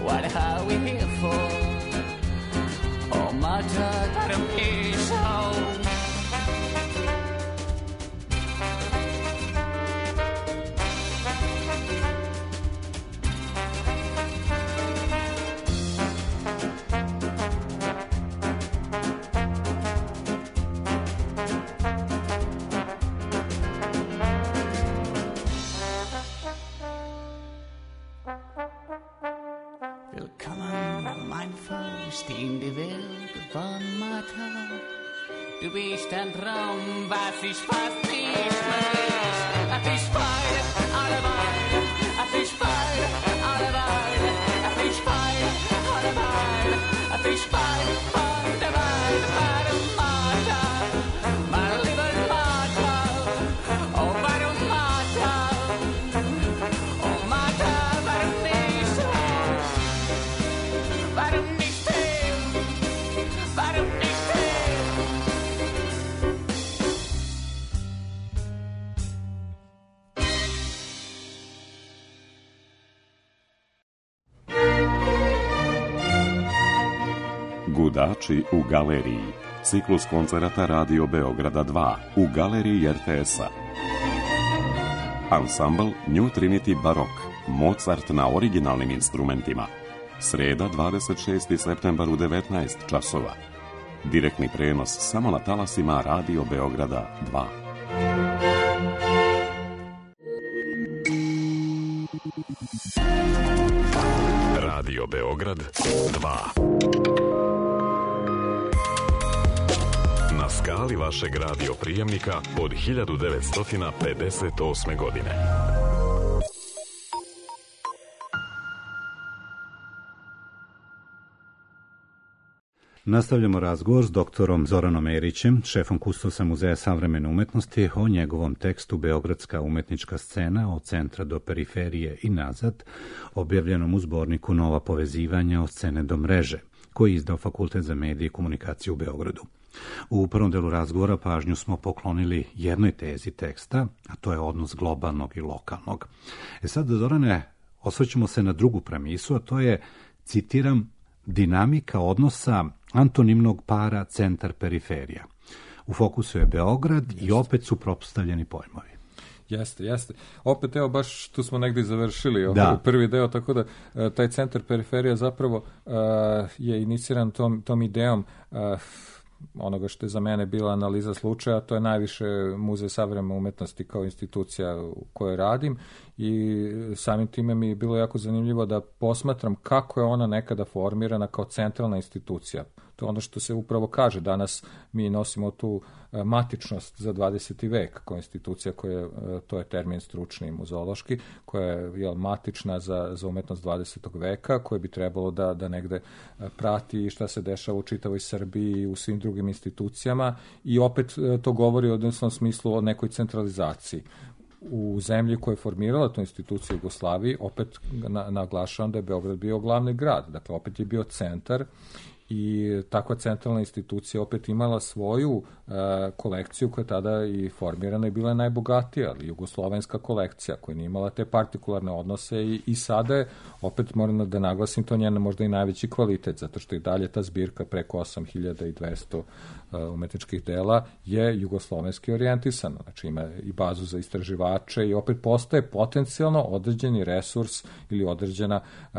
What are we here for? Oh, mortal, para me so. In die Welt von Martha. Du bist ein Traum, was ich fast nicht mehr. Ach, ich feile alle Weile, ach, ich feile alle Weile, ach, ich feile alle Weile, ach, ich feile alle Weile, meine Martha, meine liebe Martha, oh, meine Martha, oh, Martha, warum nicht so, warum nicht? Gudači u galeriji. Ciklus koncerata Radio Beograda dva u galeriji er te es-a. Ansambl New Trinity Barok. Mozart na originalnim instrumentima. Sreda dvadeset šesti septembar u devetnaest časova. Direktni prenos samo na talasima Radio Beograda dva. Radio Beograd dva. Na skali vašeg radio prijemnika od hiljadu devetsto pedeset osme godine. Nastavljamo razgovor s doktorom Zoranom Erićem, šefom kustosa Muzeja savremene umetnosti, o njegovom tekstu Beogradska umetnička scena od centra do periferije i nazad, objavljenom u zborniku Nova povezivanja od scene do mreže, koji je izdao Fakultet za medije i komunikaciju u Beogradu. U prvom delu razgovora pažnju smo poklonili jednoj tezi teksta, a to je odnos globalnog i lokalnog. E sad, Zorane, osvrćemo se na drugu premisu, a to je, citiram, dinamika odnosa antonimnog para centar-periferija. U fokusu je Beograd i opet su propstavljeni pojmovi. Jeste, jeste. Opet, evo, baš tu smo negdje završili ovaj prvi deo, tako da taj centar periferija zapravo uh, je iniciran tom, tom idejom uh, onoga što je za mene bila analiza slučaja, to je najviše Muzej savremene umetnosti kao institucija u kojoj radim i samim time mi je bilo jako zanimljivo da posmatram kako je ona nekada formirana kao centralna institucija. To je ono što se upravo kaže. Danas mi nosimo tu matičnost za dvadeseti vek kao institucija koja, to je termin stručni muzeološki, koja je jel, matična za, za umetnost dvadesetog veka, koja bi trebalo da, da negde prati šta se dešava u čitavoj Srbiji i u svim drugim institucijama i opet to govori u odnosnom smislu o nekoj centralizaciji. U zemlji koja je formirala tu instituciju Jugoslaviji, opet na, naglašavam da je Beograd bio glavni grad, dakle opet je bio centar i takva centralna institucija opet imala svoju e, kolekciju koja je tada i formirana i bila je najbogatija, ali jugoslovenska kolekcija koja nije imala te partikularne odnose i, i sada je, opet moram da naglasim, to njena možda i najveći kvalitet, zato što i dalje ta zbirka preko osam hiljada dvesta e, umetničkih dela je jugoslovenski orijentisana, znači ima i bazu za istraživače i opet postaje potencijalno određeni resurs ili određena, e,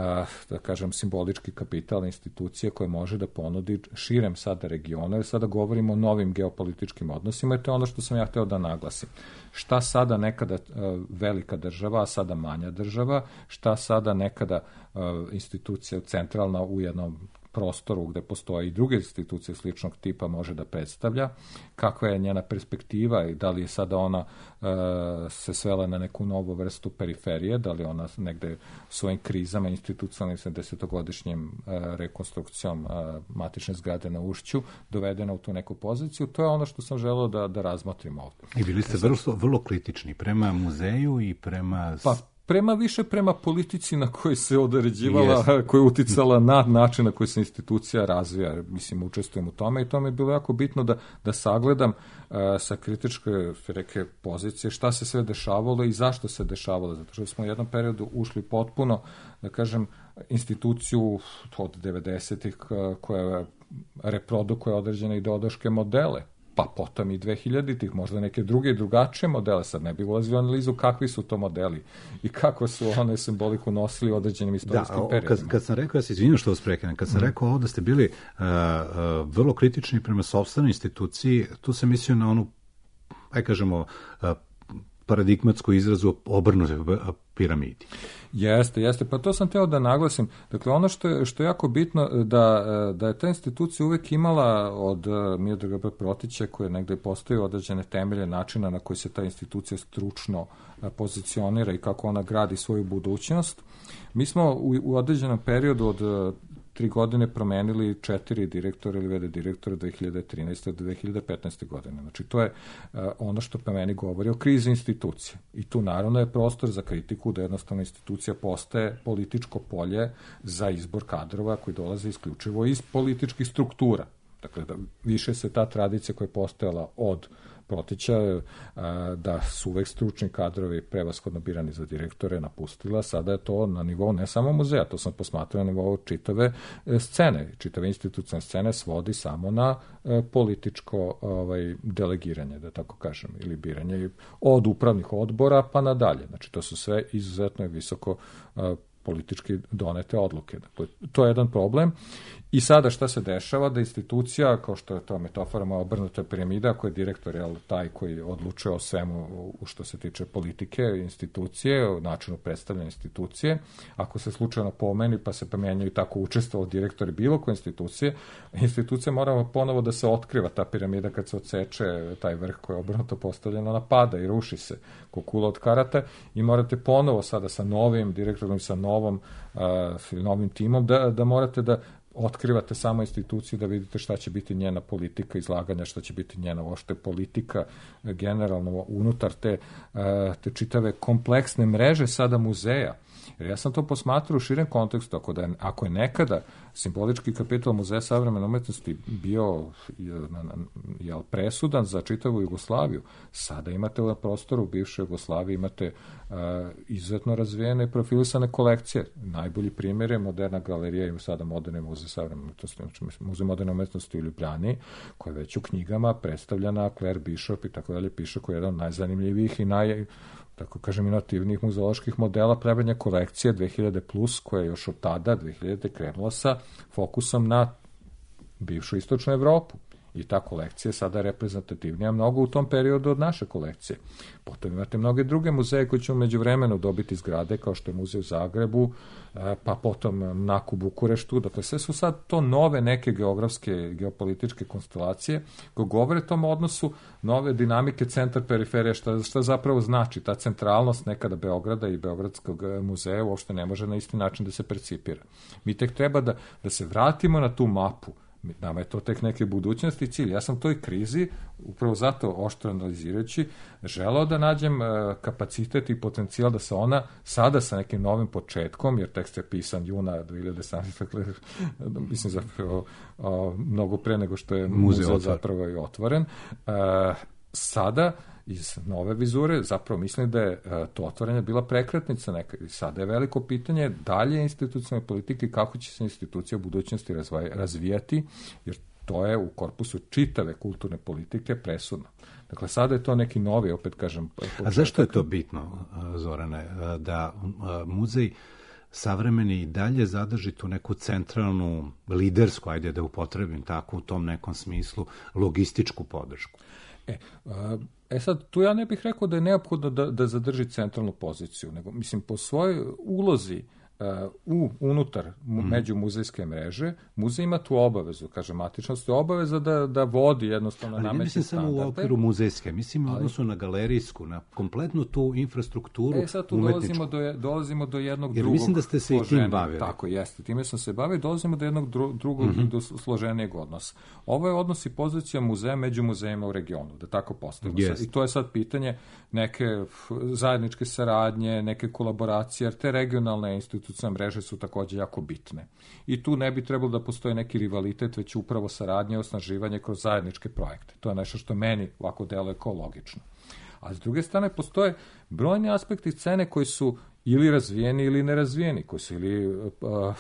da kažem, simbolički kapital institucije koja može da ponudi širem sada regionu, jer sada govorimo o novim geopolitičkim odnosima i to je ono što sam ja hteo da naglasim. Šta sada nekada uh, velika država, a sada manja država, šta sada nekada uh, institucija centralna u jednom prostoru gde postoje i druge institucije sličnog tipa može da predstavlja, kakva je njena perspektiva i da li je sada ona uh, se svela na neku novu vrstu periferije, da li ona negde svojim krizama institucionalnim sa desetogodišnjim uh, rekonstrukcijom uh, matične zgrade na Ušću dovedena u tu neku poziciju. To je ono što sam želeo da, da razmotrim ovde. I bili ste vrlo, vrlo kritični prema muzeju i prema... Pa, prema više prema politici na kojoj se određivala, yes. koja je uticala na način na koji se institucija razvija. Mislim, učestvujem u tome i to mi je bilo jako bitno da, da sagledam uh, sa kritičke reke pozicije šta se sve dešavalo i zašto se dešavalo. Zato što smo u jednom periodu ušli potpuno, da kažem, instituciju od devedesetih koja reprodukuje određene ideološke modele, pa potom i dvehiljaditih, možda neke druge i drugačije modele, sad ne bih ulazio u analizu kakvi su to modeli i kako su one simboliku nosili u određenim istorijskim da, periodima. Kad, kad sam rekao, ja se izvinjam što vas prekinem, kad sam mm. rekao ovo da ste bili uh, uh, vrlo kritični prema sopstvenoj instituciji, tu sam mislio na onu, aj kažemo, uh, paradigmatsku izrazu obrnute piramidi. Jeste, jeste, pa to sam teo da naglasim. Dakle, ono što je, što je jako bitno da, da je ta institucija uvek imala od Miodraga Protića, koje negde postoji određene temelje načina na koji se ta institucija stručno pozicionira i kako ona gradi svoju budućnost. Mi smo u, u određenom periodu od tri godine promenili četiri direktora ili vede direktora dve hiljade trinaeste do dve hiljade petnaeste godine. Znači, to je uh, ono što po meni govori o krizi institucije. I tu naravno je prostor za kritiku da jednostavno institucija postaje političko polje za izbor kadrova koji dolaze isključivo iz političkih struktura. Dakle, da više se ta tradicija koja je postojala od Protića, da su uvek stručni kadrovi prevashodno birani za direktore napustila, sada je to na nivou ne samo muzeja, to sam posmatrao na nivou čitave scene, čitave institucionalne scene svodi samo na političko ovaj, delegiranje, da tako kažem, ili biranje od upravnih odbora pa nadalje. Znači, to su sve izuzetno visoko politički donete odluke. Dakle, to je jedan problem. I sada šta se dešava? Da institucija, kao što je to metafora moja obrnuta piramida, koji je direktor, je taj koji odlučuje o svemu u što se tiče politike, institucije, o načinu predstavljanja institucije. Ako se slučajno pomeni, pa se pomenjaju tako učestvovao direktori bilo koje institucije, institucija mora ponovo da se otkriva ta piramida kad se odseče taj vrh koji je obrnuto postavljeno, napada i ruši se ko kula od karata i morate ponovo sada sa novim direktorom, sa novom, uh, novim timom da, da morate da otkrivate samo instituciju da vidite šta će biti njena politika izlaganja, šta će biti njena uopšte politika generalno unutar te, te čitave kompleksne mreže sada muzeja. Jer ja sam to posmatrao u širem kontekstu, ako, da je, ako je nekada simbolički kapital Muzeja savremene umetnosti bio jel, presudan za čitavu Jugoslaviju, sada imate u prostoru u bivšoj Jugoslaviji, imate uh, izuzetno razvijene i profilisane kolekcije. Najbolji primjer je Moderna galerija i sada Moderni muzej savremene umetnosti, znači Muzej moderne umetnosti u Ljubljani, koja je već u knjigama predstavljena Claire Bishop i tako dalje, piše koji je jedan od najzanimljivijih i naj tako kažem, inovativnih muzeoloških modela pravljanja kolekcije dve hiljade plus, koja je još od tada, dve hiljade krenula sa fokusom na bivšu istočnu Evropu. I ta kolekcija je sada reprezentativnija mnogo u tom periodu od naše kolekcije. Potom imate mnoge druge muzeje koji će u međuvremenu dobiti zgrade, kao što je muzej u Zagrebu, pa potom Nak u Bukureštu. Dakle, sve su sad to nove neke geografske, geopolitičke konstelacije koje govore o tom odnosu nove dinamike centar-periferija, šta, šta zapravo znači ta centralnost nekada Beograda i Beogradskog muzeja uopšte ne može na isti način da se percipira. Mi tek treba da, da se vratimo na tu mapu. Nama je to tek neke budućnosti i cilj. Ja sam toj krizi, upravo zato oštro analizirajući, želeo da nađem kapacitet i potencijal da se ona sada sa nekim novim početkom, jer tekst je pisan juna dve hiljade sedamnaeste. Mislim zapravo mnogo pre nego što je muzej, muzej zapravo i otvoren. Sada iz nove vizure, zapravo mislim da je to otvaranje bila prekretnica neka. I sada je veliko pitanje dalje institucionalne politike, kako će se institucija u budućnosti razvijati, jer to je u korpusu čitave kulturne politike presudno. Dakle, sada je to neki novi, opet kažem... Početak. A zašto je to bitno, Zorane, da muzej savremeni i dalje zadrži tu neku centralnu, lidersku, ajde da upotrebim tako u tom nekom smislu, logističku podršku? E, e sad, tu ja ne bih rekao da je neophodno da, da zadrži centralnu poziciju, nego, mislim, po svojoj ulozi u unutar Mm. međumuzejske mreže, muzej ima tu obavezu, kaže matičnost, je obaveza da, da vodi jednostavno ali nametne mislim samo standarde. u okviru muzejske, mislim u Ali- odnosu na galerijsku, na kompletnu tu infrastrukturu E, sad tu umetničku. dolazimo do, je- dolazimo do jednog Jer drugog mislim da ste se i tim složenijeg- bavili. Tako, jeste. Time sam se bavio, dolazimo do jednog dru, drugog Mhm. i do složenijeg odnosa. Ovo je odnos i pozicija muzeja među muzejima u regionu, da tako postavimo. Jest. I to je sad pitanje neke f, zajedničke saradnje, neke kolaboracije, jer te regionalne institucionalne mreže su takođe jako bitne. I tu ne bi trebalo da postoji neki rivalitet, već upravo saradnje i osnaživanje kroz zajedničke projekte. To je nešto što meni ovako deluje kao logično. A s druge strane postoje brojni aspekti scene koji su ili razvijeni ili nerazvijeni, koji su ili uh,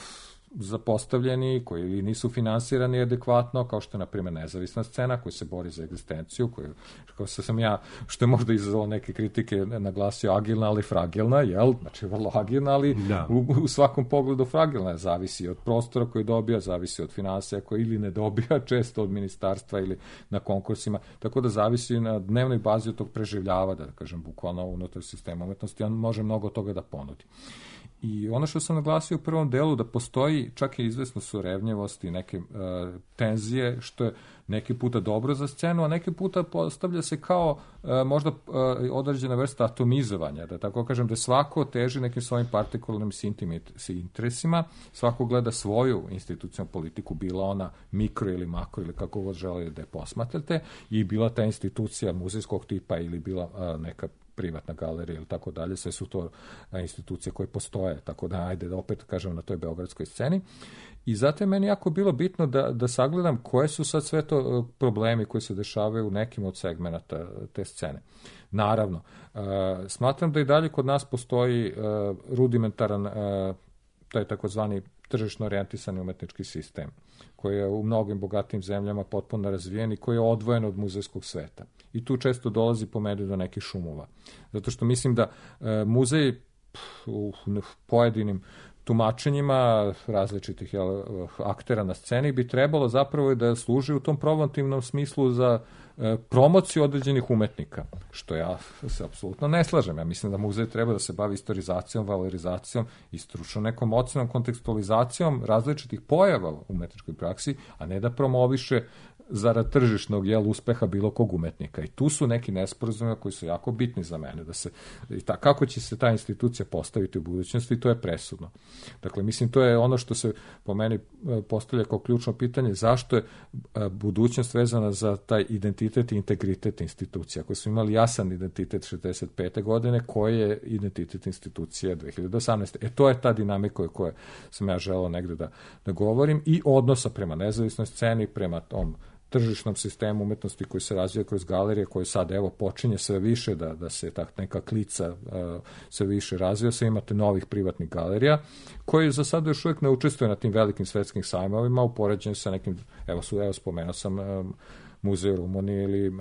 zapostavljeni, koji ili nisu finansirani adekvatno, kao što je, na primjer, nezavisna scena koja se bori za egzistenciju, koja, kao što sam ja, što je možda izazvalo neke kritike, naglasio agilna, ali fragilna, jel? Znači, vrlo agilna, ali Da. u, u svakom pogledu fragilna. Zavisi od prostora koji dobija, zavisi od finansija koji ili ne dobija, često od ministarstva ili na konkursima, tako da zavisi na dnevnoj bazi od tog preživljava, da kažem, bukvalno unutar sistema umetnosti, on može mnogo toga da ponudi. I ono što sam naglasio u prvom delu, da postoji čak i izvesno surevnjevost i neke uh, tenzije, što je neki puta dobro za scenu, a neki puta postavlja se kao uh, možda uh, određena vrsta atomizovanja, da tako kažem, da svako teži nekim svojim partikularnim interesima, svako gleda svoju institucionalnu politiku, bila ona mikro ili makro ili kako god želi da je posmatrate, i bila ta institucija muzejskog tipa ili bila uh, neka privatna galerija ili tako dalje, sve su to institucije koje postoje, tako da ajde da opet kažem na toj beogradskoj sceni. I zato je meni jako bilo bitno da, da sagledam koje su sad sve to problemi koji se dešavaju u nekim od segmenata te scene. Naravno, uh, smatram da i dalje kod nas postoji uh, rudimentaran, uh, taj takozvani tržišno orijentisani umetnički sistem, koji je u mnogim bogatim zemljama potpuno razvijen i koji je odvojen od muzejskog sveta. I tu često dolazi po meni do nekih šumova. Zato što mislim da e, muzej pf, u pojedinim tumačenjima različitih jel, aktera na sceni bi trebalo zapravo da služi u tom promotivnom smislu za e, promociju određenih umetnika, što ja se apsolutno ne slažem. Ja mislim da muzej treba da se bavi istorizacijom, valorizacijom i stručno nekom ocenom, kontekstualizacijom različitih pojava u umetničkoj praksi, a ne da promoviše zarad tržišnog jel, uspeha bilo kog umetnika. I tu su neki nesporazumi koji su jako bitni za mene. Da se, i ta, kako će se ta institucija postaviti u budućnosti, to je presudno. Dakle, mislim, to je ono što se po meni postavlja kao ključno pitanje, zašto je budućnost vezana za taj identitet i integritet institucija. Ako smo imali jasan identitet šezdeset pete godine, koji je identitet institucije dve hiljade osamnaeste. E, to je ta dinamika o kojoj sam ja želeo negde da, da govorim i odnosa prema nezavisnoj sceni, prema tom tržišnom sistemu umetnosti koji se razvija kroz galerije, koji sad evo počinje sve više da, da se tak neka klica uh, sve više razvija, sve imate novih privatnih galerija koji za sad još uvijek ne učestvuju na tim velikim svetskim sajmovima u poređenju sa nekim, evo su, evo spomenuo sam um, muzej u Rumuniji ili uh,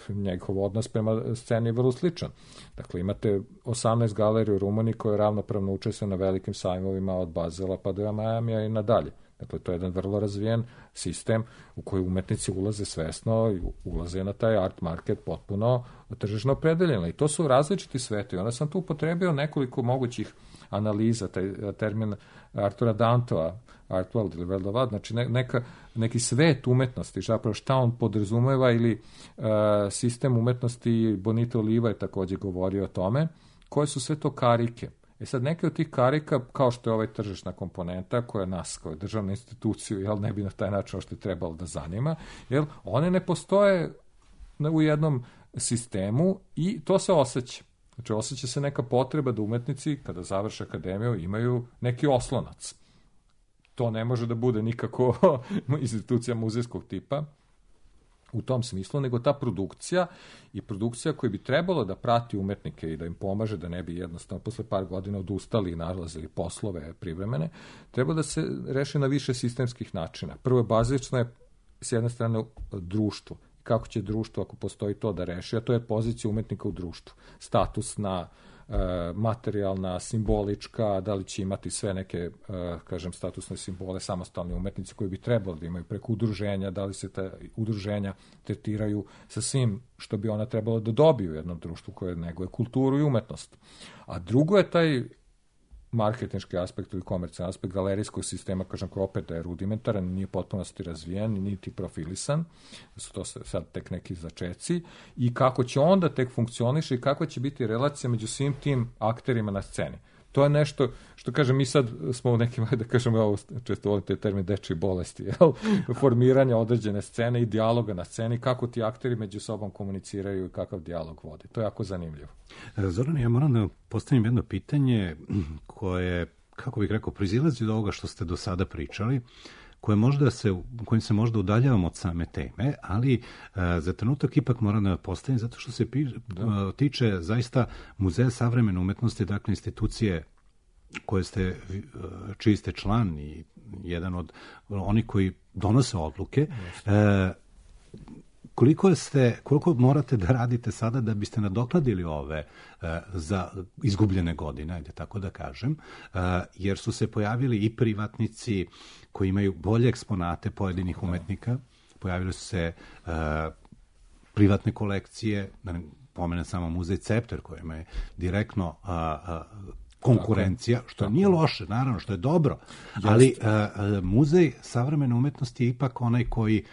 njegov odnos prema sceni je vrlo sličan. Dakle, imate osamnaest galerija u Rumuniji koje ravnopravno učestvuju na velikim sajmovima od Bazela pa do Majamija i nadalje. Dakle, to je jedan vrlo razvijen sistem u koji umetnici ulaze svesno i ulaze na taj art market potpuno tržišno opredeljeno. I to su različiti sveti. Onda sam tu upotrebio nekoliko mogućih analiza, taj termin Artura Dantova, art world ili world of art, znači neka, neki svet umetnosti, zapravo šta on podrazumeva ili uh, sistem umetnosti. Bonito Oliva je također govorio o tome, koje su sve to karike. E sad, neke od tih karika, kao što je ovaj tržišna komponenta, koja nas, kao državnu instituciju, jel, ne bi na taj način što je trebalo da zanima, jel, one ne postoje u jednom sistemu i to se osjeća. Znači, osjeća se neka potreba da umetnici, kada završe akademiju, imaju neki oslonac. To ne može da bude nikako institucija muzejskog tipa, u tom smislu, nego ta produkcija i produkcija koja bi trebalo da prati umetnike i da im pomaže da ne bi jednostavno posle par godina odustali i nalazili poslove privremene, treba da se reši na više sistemskih načina. Prvo je bazično je s jedne strane društvo. Kako će društvo, ako postoji to, da reši, a to je pozicija umetnika u društvu. Statusna, materijalna, simbolička, da li će imati sve neke, kažem, statusne simbole, samostalni umetnici koji bi trebali da imaju preko udruženja, da li se ta udruženja tretiraju sa svim što bi ona trebala da dobiju u jednom društvu koje neguje kulturu i umetnost. A drugo je taj marketinški aspekt ili komercijalni aspekt galerijskog sistema, kažem, koji opet da je rudimentaran, nije potpunosti razvijen, niti profilisan, su to sad tek neki začeci, i kako će onda tek funkcioniše i kakva će biti relacija među svim tim akterima na sceni. To je nešto što, kažem, mi sad smo u nekim, da kažem, ovo često volim te termin dečje bolesti, jel? Formiranja određene scene i dijaloga na sceni, kako ti akteri među sobom komuniciraju i kakav dijalog vode. To je jako zanimljivo. Zoran, ja moram da postavim jedno pitanje koje, kako bih rekao, proizilazi od ovoga što ste do sada pričali, koje možda se, kojim se možda udaljavamo od same teme, ali uh, za trenutak ipak moram da postavim, zato što se pi, uh, tiče zaista Muzeja savremene umetnosti, dakle institucije koje ste, uh, čiji ste član i jedan od onih koji donose odluke. Uh, koliko ste, koliko morate da radite sada da biste nadoknadili ove uh, za izgubljene godine, ajde tako da kažem, uh, jer su se pojavili i privatnici koji imaju bolje eksponate pojedinih umetnika, pojavili su se uh, privatne kolekcije, da ne pomenem samo muzej Cepter koji ima direktno uh, uh, konkurencija, što nije loše, naravno, što je dobro, ali uh, uh, muzej savremene umetnosti je ipak onaj koji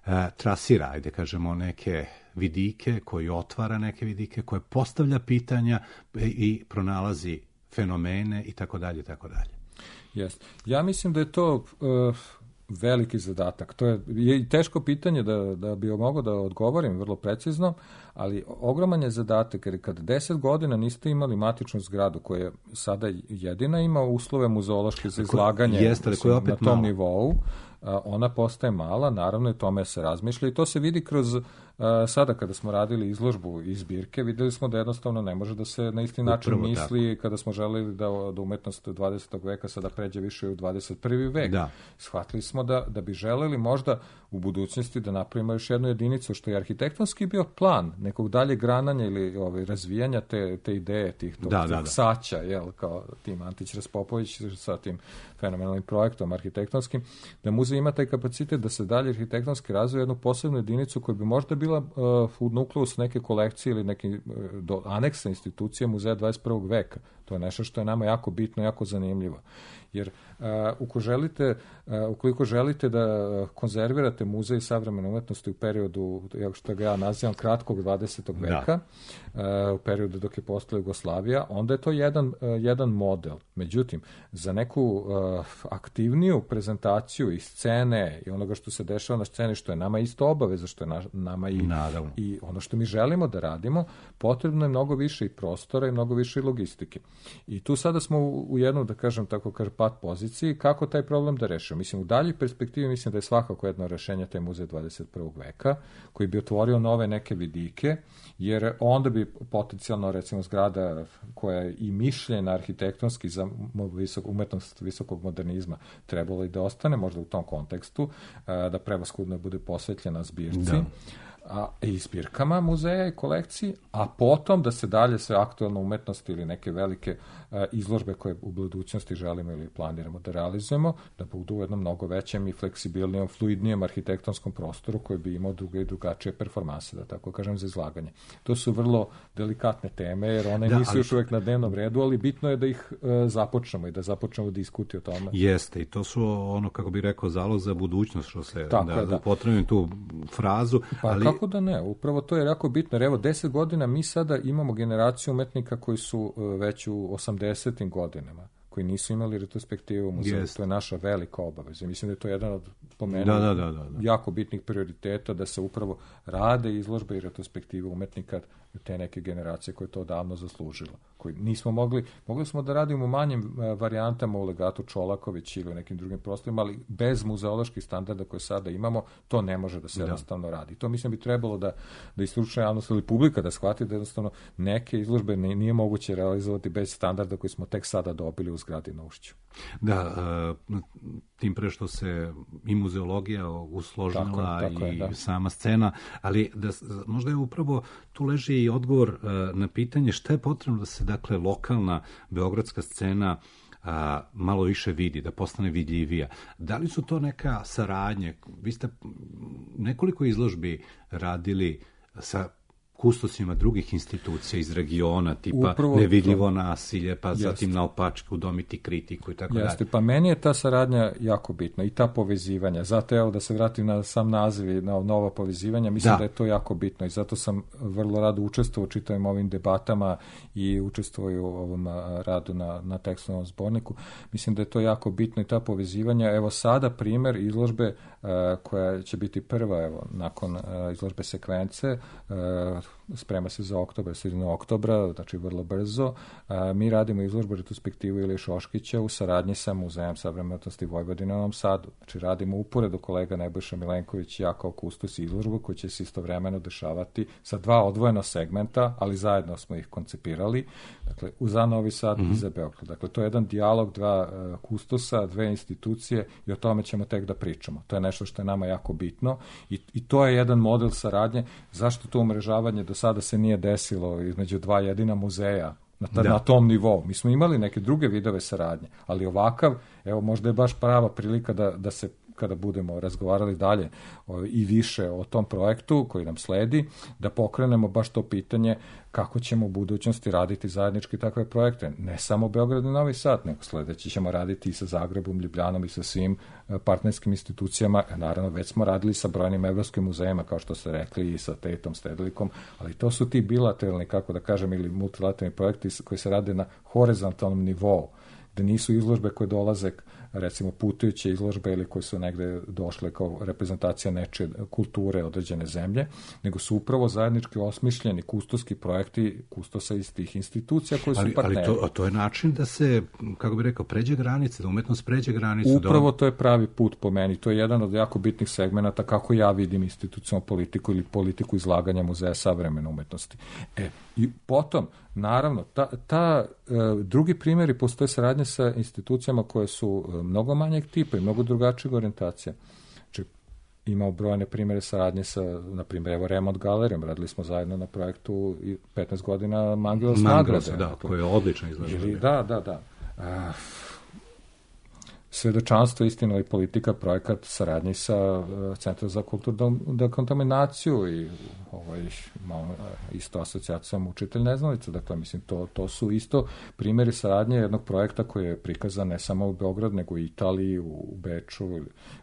uh, trasira, ajde kažemo, neke vidike, koji otvara neke vidike, koje postavlja pitanja i pronalazi fenomene i tako dalje, i tako dalje. Yes. Ja mislim da je to uh, veliki zadatak. To je, je teško pitanje da, da bi mogao da odgovorim vrlo precizno, ali ogroman je zadatak, jer kad deset godina niste imali matičnu zgradu koja sada jedina ima uslove muzeološke za izlaganje Jeste, mislim, opet na tom malo. nivou, ona postaje mala, naravno, i tome se razmišlja i to se vidi kroz, sada kada smo radili izložbu iz zbirke, videli smo da jednostavno ne može da se na isti način Upravo misli tako. Kada smo želeli da, da umetnost dvadesetog veka sada pređe više u dvadeset prvi vek. Da. Shvatili smo da, da bi želeli možda u budućnosti da napravimo još jednu jedinicu, što je arhitektonski bio plan nekog dalje grananja ili ovaj, razvijanja te, te ideje, tih tog, da, tog da, da. saća, jel, kao tim Antić Raspopović sa tim fenomenalnim projektom arhitektonskim, da muzej ima taj kapacitet da se dalje arhitektonski razvije jednu posebnu jedinicu koja bi možda bila uh, u nukleus neke kolekcije ili neke uh, do, aneksa institucije muzeja dvadeset prvog veka. To je nešto što je nama jako bitno, jako zanimljivo. Jer uh, uko želite, uh, ukoliko želite da konzervirate muzej savremene umetnosti u periodu, što ga ja nazivam, kratkog dvadesetog veka, uh, u periodu dok je postala Jugoslavija, onda je to jedan, uh, jedan model. Međutim, za neku uh, aktivniju prezentaciju i scene i onoga što se dešava na sceni, što je nama isto obaveza, što je na, nama i, i ono što mi želimo da radimo, potrebno je mnogo više i prostora i mnogo više i logistike. I tu sada smo u, u jednu, da kažem tako, pat poziciji, kako taj problem da rešimo. Mislim, u daljoj perspektivi mislim da je svakako jedno rešenje taj muzej dvadeset prvog veka, koji bi otvorio nove neke vidike, jer onda bi potencijalno, recimo, zgrada koja je i mišljena arhitektonski za visok, umetnost visokog modernizma trebalo i da ostane možda u tom kontekstu, da prevashodno bude posvetljena zbirci. Da. A, i zbirkama muzeja i kolekciji, a potom da se dalje sve aktualne umetnosti ili neke velike a, izložbe koje u budućnosti želimo ili planiramo da realizujemo, da budu u jednom mnogo većem i fleksibilnijem, fluidnijem arhitektonskom prostoru koji bi imao druge i drugačije performanse, da tako kažem, za izlaganje. To su vrlo delikatne teme, jer one da, nisu ali... još uvek na dnevnom redu, ali bitno je da ih e, započnemo i da započnemo diskuti o tome. Jeste, i to su ono, kako bih rekao, zalog za budućnost, što se, tako da, je, da. Potrebujem tu frazu, pa, ali... Kako da ne? Upravo to je jako bitno. Jer evo, deset godina mi sada imamo generaciju umetnika koji su već u osamdesetim godinama, koji nisu imali retrospektivu u muzeju. Yes. To je naša velika obaveza. Mislim da je to jedan od pomenu da, da, da, da. jako bitnih prioriteta, da se upravo rade izložbe i retrospektive umetnika te neke generacije koje to davno zaslužilo. Koji nismo mogli, mogli smo da radimo u manjim varijantama u Legatu Čolaković ili u nekim drugim prostorima, ali bez muzeoloških standarda koje sada imamo, to ne može da se da. jednostavno radi. To mislim bi trebalo da, da i stručna javnost ili publika da shvati da jednostavno neke izložbe nije moguće realizovati bez standarda koji smo tek sada dobili u zgradi na Ušću. Da, tim pre što se i muzeologija usložila tako, tako i je, da. sama scena, ali da, možda je upravo tu leži i odgovor na pitanje šta je potrebno da se, dakle, lokalna beogradska scena a, malo više vidi, da postane vidljivija. Da li su to neka saradnje? Vi ste nekoliko izložbi radili sa kustosima drugih institucija iz regiona, tipa Upravo nevidljivo to. nasilje, pa Jeste. zatim naopačke udomiti kritiku i tako dalje. Jeste, pa meni je ta saradnja jako bitna i ta povezivanja. Zato evo da se vratim na sam naziv i na nova povezivanja, mislim da. da je to jako bitno i zato sam vrlo rado učestvovao u čitavim ovim debatama i učestvovao u ovom radu na, na tekstualnom zborniku. Mislim da je to jako bitno i ta povezivanja. Evo sada primer izložbe uh, koja će biti prva, evo, nakon uh, izložbe sekvence, uh, sprema se za oktobar, sredinu oktobra, znači vrlo brzo. A, mi radimo izložbu retrospektivu Ilije Šoškića u saradnji sa Muzejem savremene umetnosti Vojvodine u Novom Sadu. Znači radimo uporedo kolega Nebojša Milenković i ja kao kustos izložbu koja će se istovremeno dešavati sa dva odvojena segmenta, ali zajedno smo ih koncipirali. Dakle, za Novi Sad mm-hmm. i za Beograd. Dakle, to je jedan dijalog dva uh, kustosa, dve institucije i o tome ćemo tek da pričamo. To je nešto što je nama jako bitno i, i to je jedan model saradnje. Zašto to umrežavanje do sada se nije desilo između dva jedina muzeja na, ta, na tom nivou? Mi smo imali neke druge vidove saradnje, ali ovakav, evo, možda je baš prava prilika da, da se kada budemo razgovarali dalje o, i više o tom projektu koji nam sledi, da pokrenemo baš to pitanje kako ćemo u budućnosti raditi zajednički takve projekte. Ne samo Beograd i Novi Sad, nego sledeći ćemo raditi i sa Zagrebom, Ljubljanom i sa svim partnerskim institucijama. Naravno, već smo radili sa brojnim evropskim muzejima, kao što ste rekli, i sa Tetom, Stedelikom, ali to su ti bilateralni, kako da kažem, ili multilateralni projekti koji se rade na horizontalnom nivou, gde nisu izložbe koje dolaze, recimo putujuće izložbe ili koje su negde došle kao reprezentacija nečije kulture određene zemlje, nego su upravo zajednički osmišljeni kustoski projekti kustosa iz tih institucija koji su ali, partneri. Ali to, to je način da se, kako bih rekao, pređe granice, da umetnost pređe granicu. Upravo da... to je pravi put po meni. To je jedan od jako bitnih segmenata kako ja vidim institucionalnu politiku ili politiku izlaganja Muzeja savremene umetnosti. E, i potom, naravno, ta, ta e, drugi primjeri postoje saradnje sa institucijama koje su e, mnogo manjeg tipa i mnogo drugačijeg orijentacija. Znači, imamo brojne primjere saradnje sa, na primjer, evo Remont Galerijom, radili smo zajedno na projektu petnaest godina Mangelos nagrade. Da, koje je odlično izloženo. Da, da, da. A, Svedočanstvo, istina i politika, projekat saradnji sa uh, Centrom za kulturnu dekontaminaciju i ovaj, malo, isto asocijacijom učitelj neznalica. Dakle, mislim, to, to su isto primjeri saradnje jednog projekta koji je prikazan ne samo u Beograd, nego u Italiji, u Beču, u,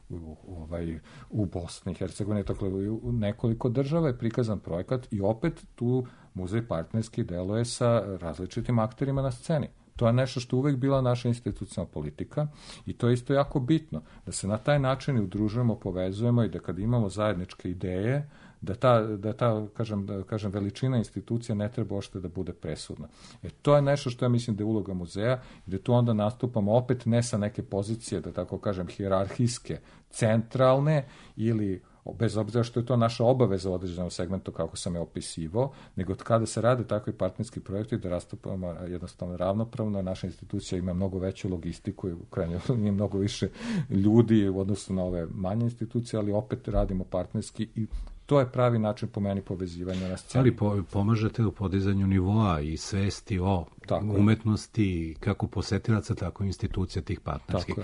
u, ovaj, u Bosni i Hercegovini, dakle, u nekoliko država je prikazan projekat i opet tu muzej partnerski deluje sa različitim akterima na sceni. To je nešto što uvek bila naša institucionalna politika i to je isto jako bitno, da se na taj način udružujemo, povezujemo i da kad imamo zajedničke ideje, da ta, da ta kažem, da kažem, veličina institucija ne treba ošte da bude presudna. E, to je nešto što ja mislim da je uloga muzeja, gde tu onda nastupamo opet ne sa neke pozicije, da tako kažem, hijerarhijske, centralne ili bez obzira što je to naša obaveza u određenom segmentu kako sam je opisivao, nego kada se rade takvi partnerski projekti da rastupamo jednostavno ravnopravno, naša institucija ima mnogo veću logistiku i u krajnjoj liniji mnogo više ljudi u odnosu na ove manje institucije, ali opet radimo partnerski i to je pravi način po meni povezivanja na sceni. Ali po, pomažete u podizanju nivoa i svesti o tako umetnosti kako posetilaca, tako i institucija tih partnerskih.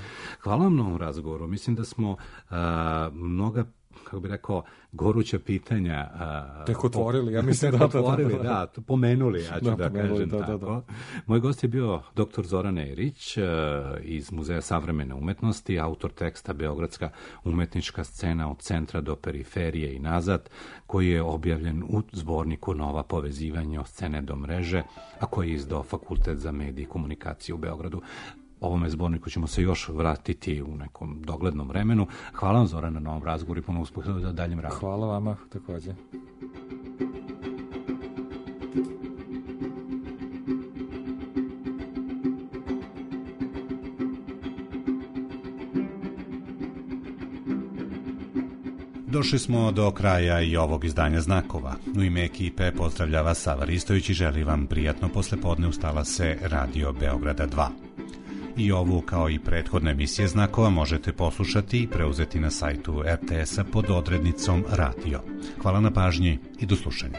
Hvala vam na ovom razgovoru. Mislim da smo a, mnoga, kako bih rekao, goruća pitanja a, tek otvorili, ja mislim da, da, otvorili, da, da, da, to pomenuli, ja ću da, da pomenuli, kažem da, tako. Da, da. Moj gost je bio doktor Zoran Erić a, iz Muzeja savremene umetnosti, autor teksta Beogradska umetnička scena od centra do periferije i nazad, koji je objavljen u zborniku Nova povezivanja od scene do mreže, a koji je izdao Fakultet za medije i komunikaciju u Beogradu. Ovome zborniku ćemo se još vratiti u nekom doglednom vremenu. Hvala vam, Zorana, na ovom razgovoru i puno uspeha za daljem radu. Hvala vama takođe. Došli smo do kraja i ovog izdanja Znakova. U ime ekipe pozdravlja vas Sava Ristović i želi vam prijatno poslepodne. Ustala se Radio Beograda dva. I ovu, kao i prethodne emisije Znakova, možete poslušati i preuzeti na sajtu er te es a pod odrednicom Radio. Hvala na pažnji i do slušanja.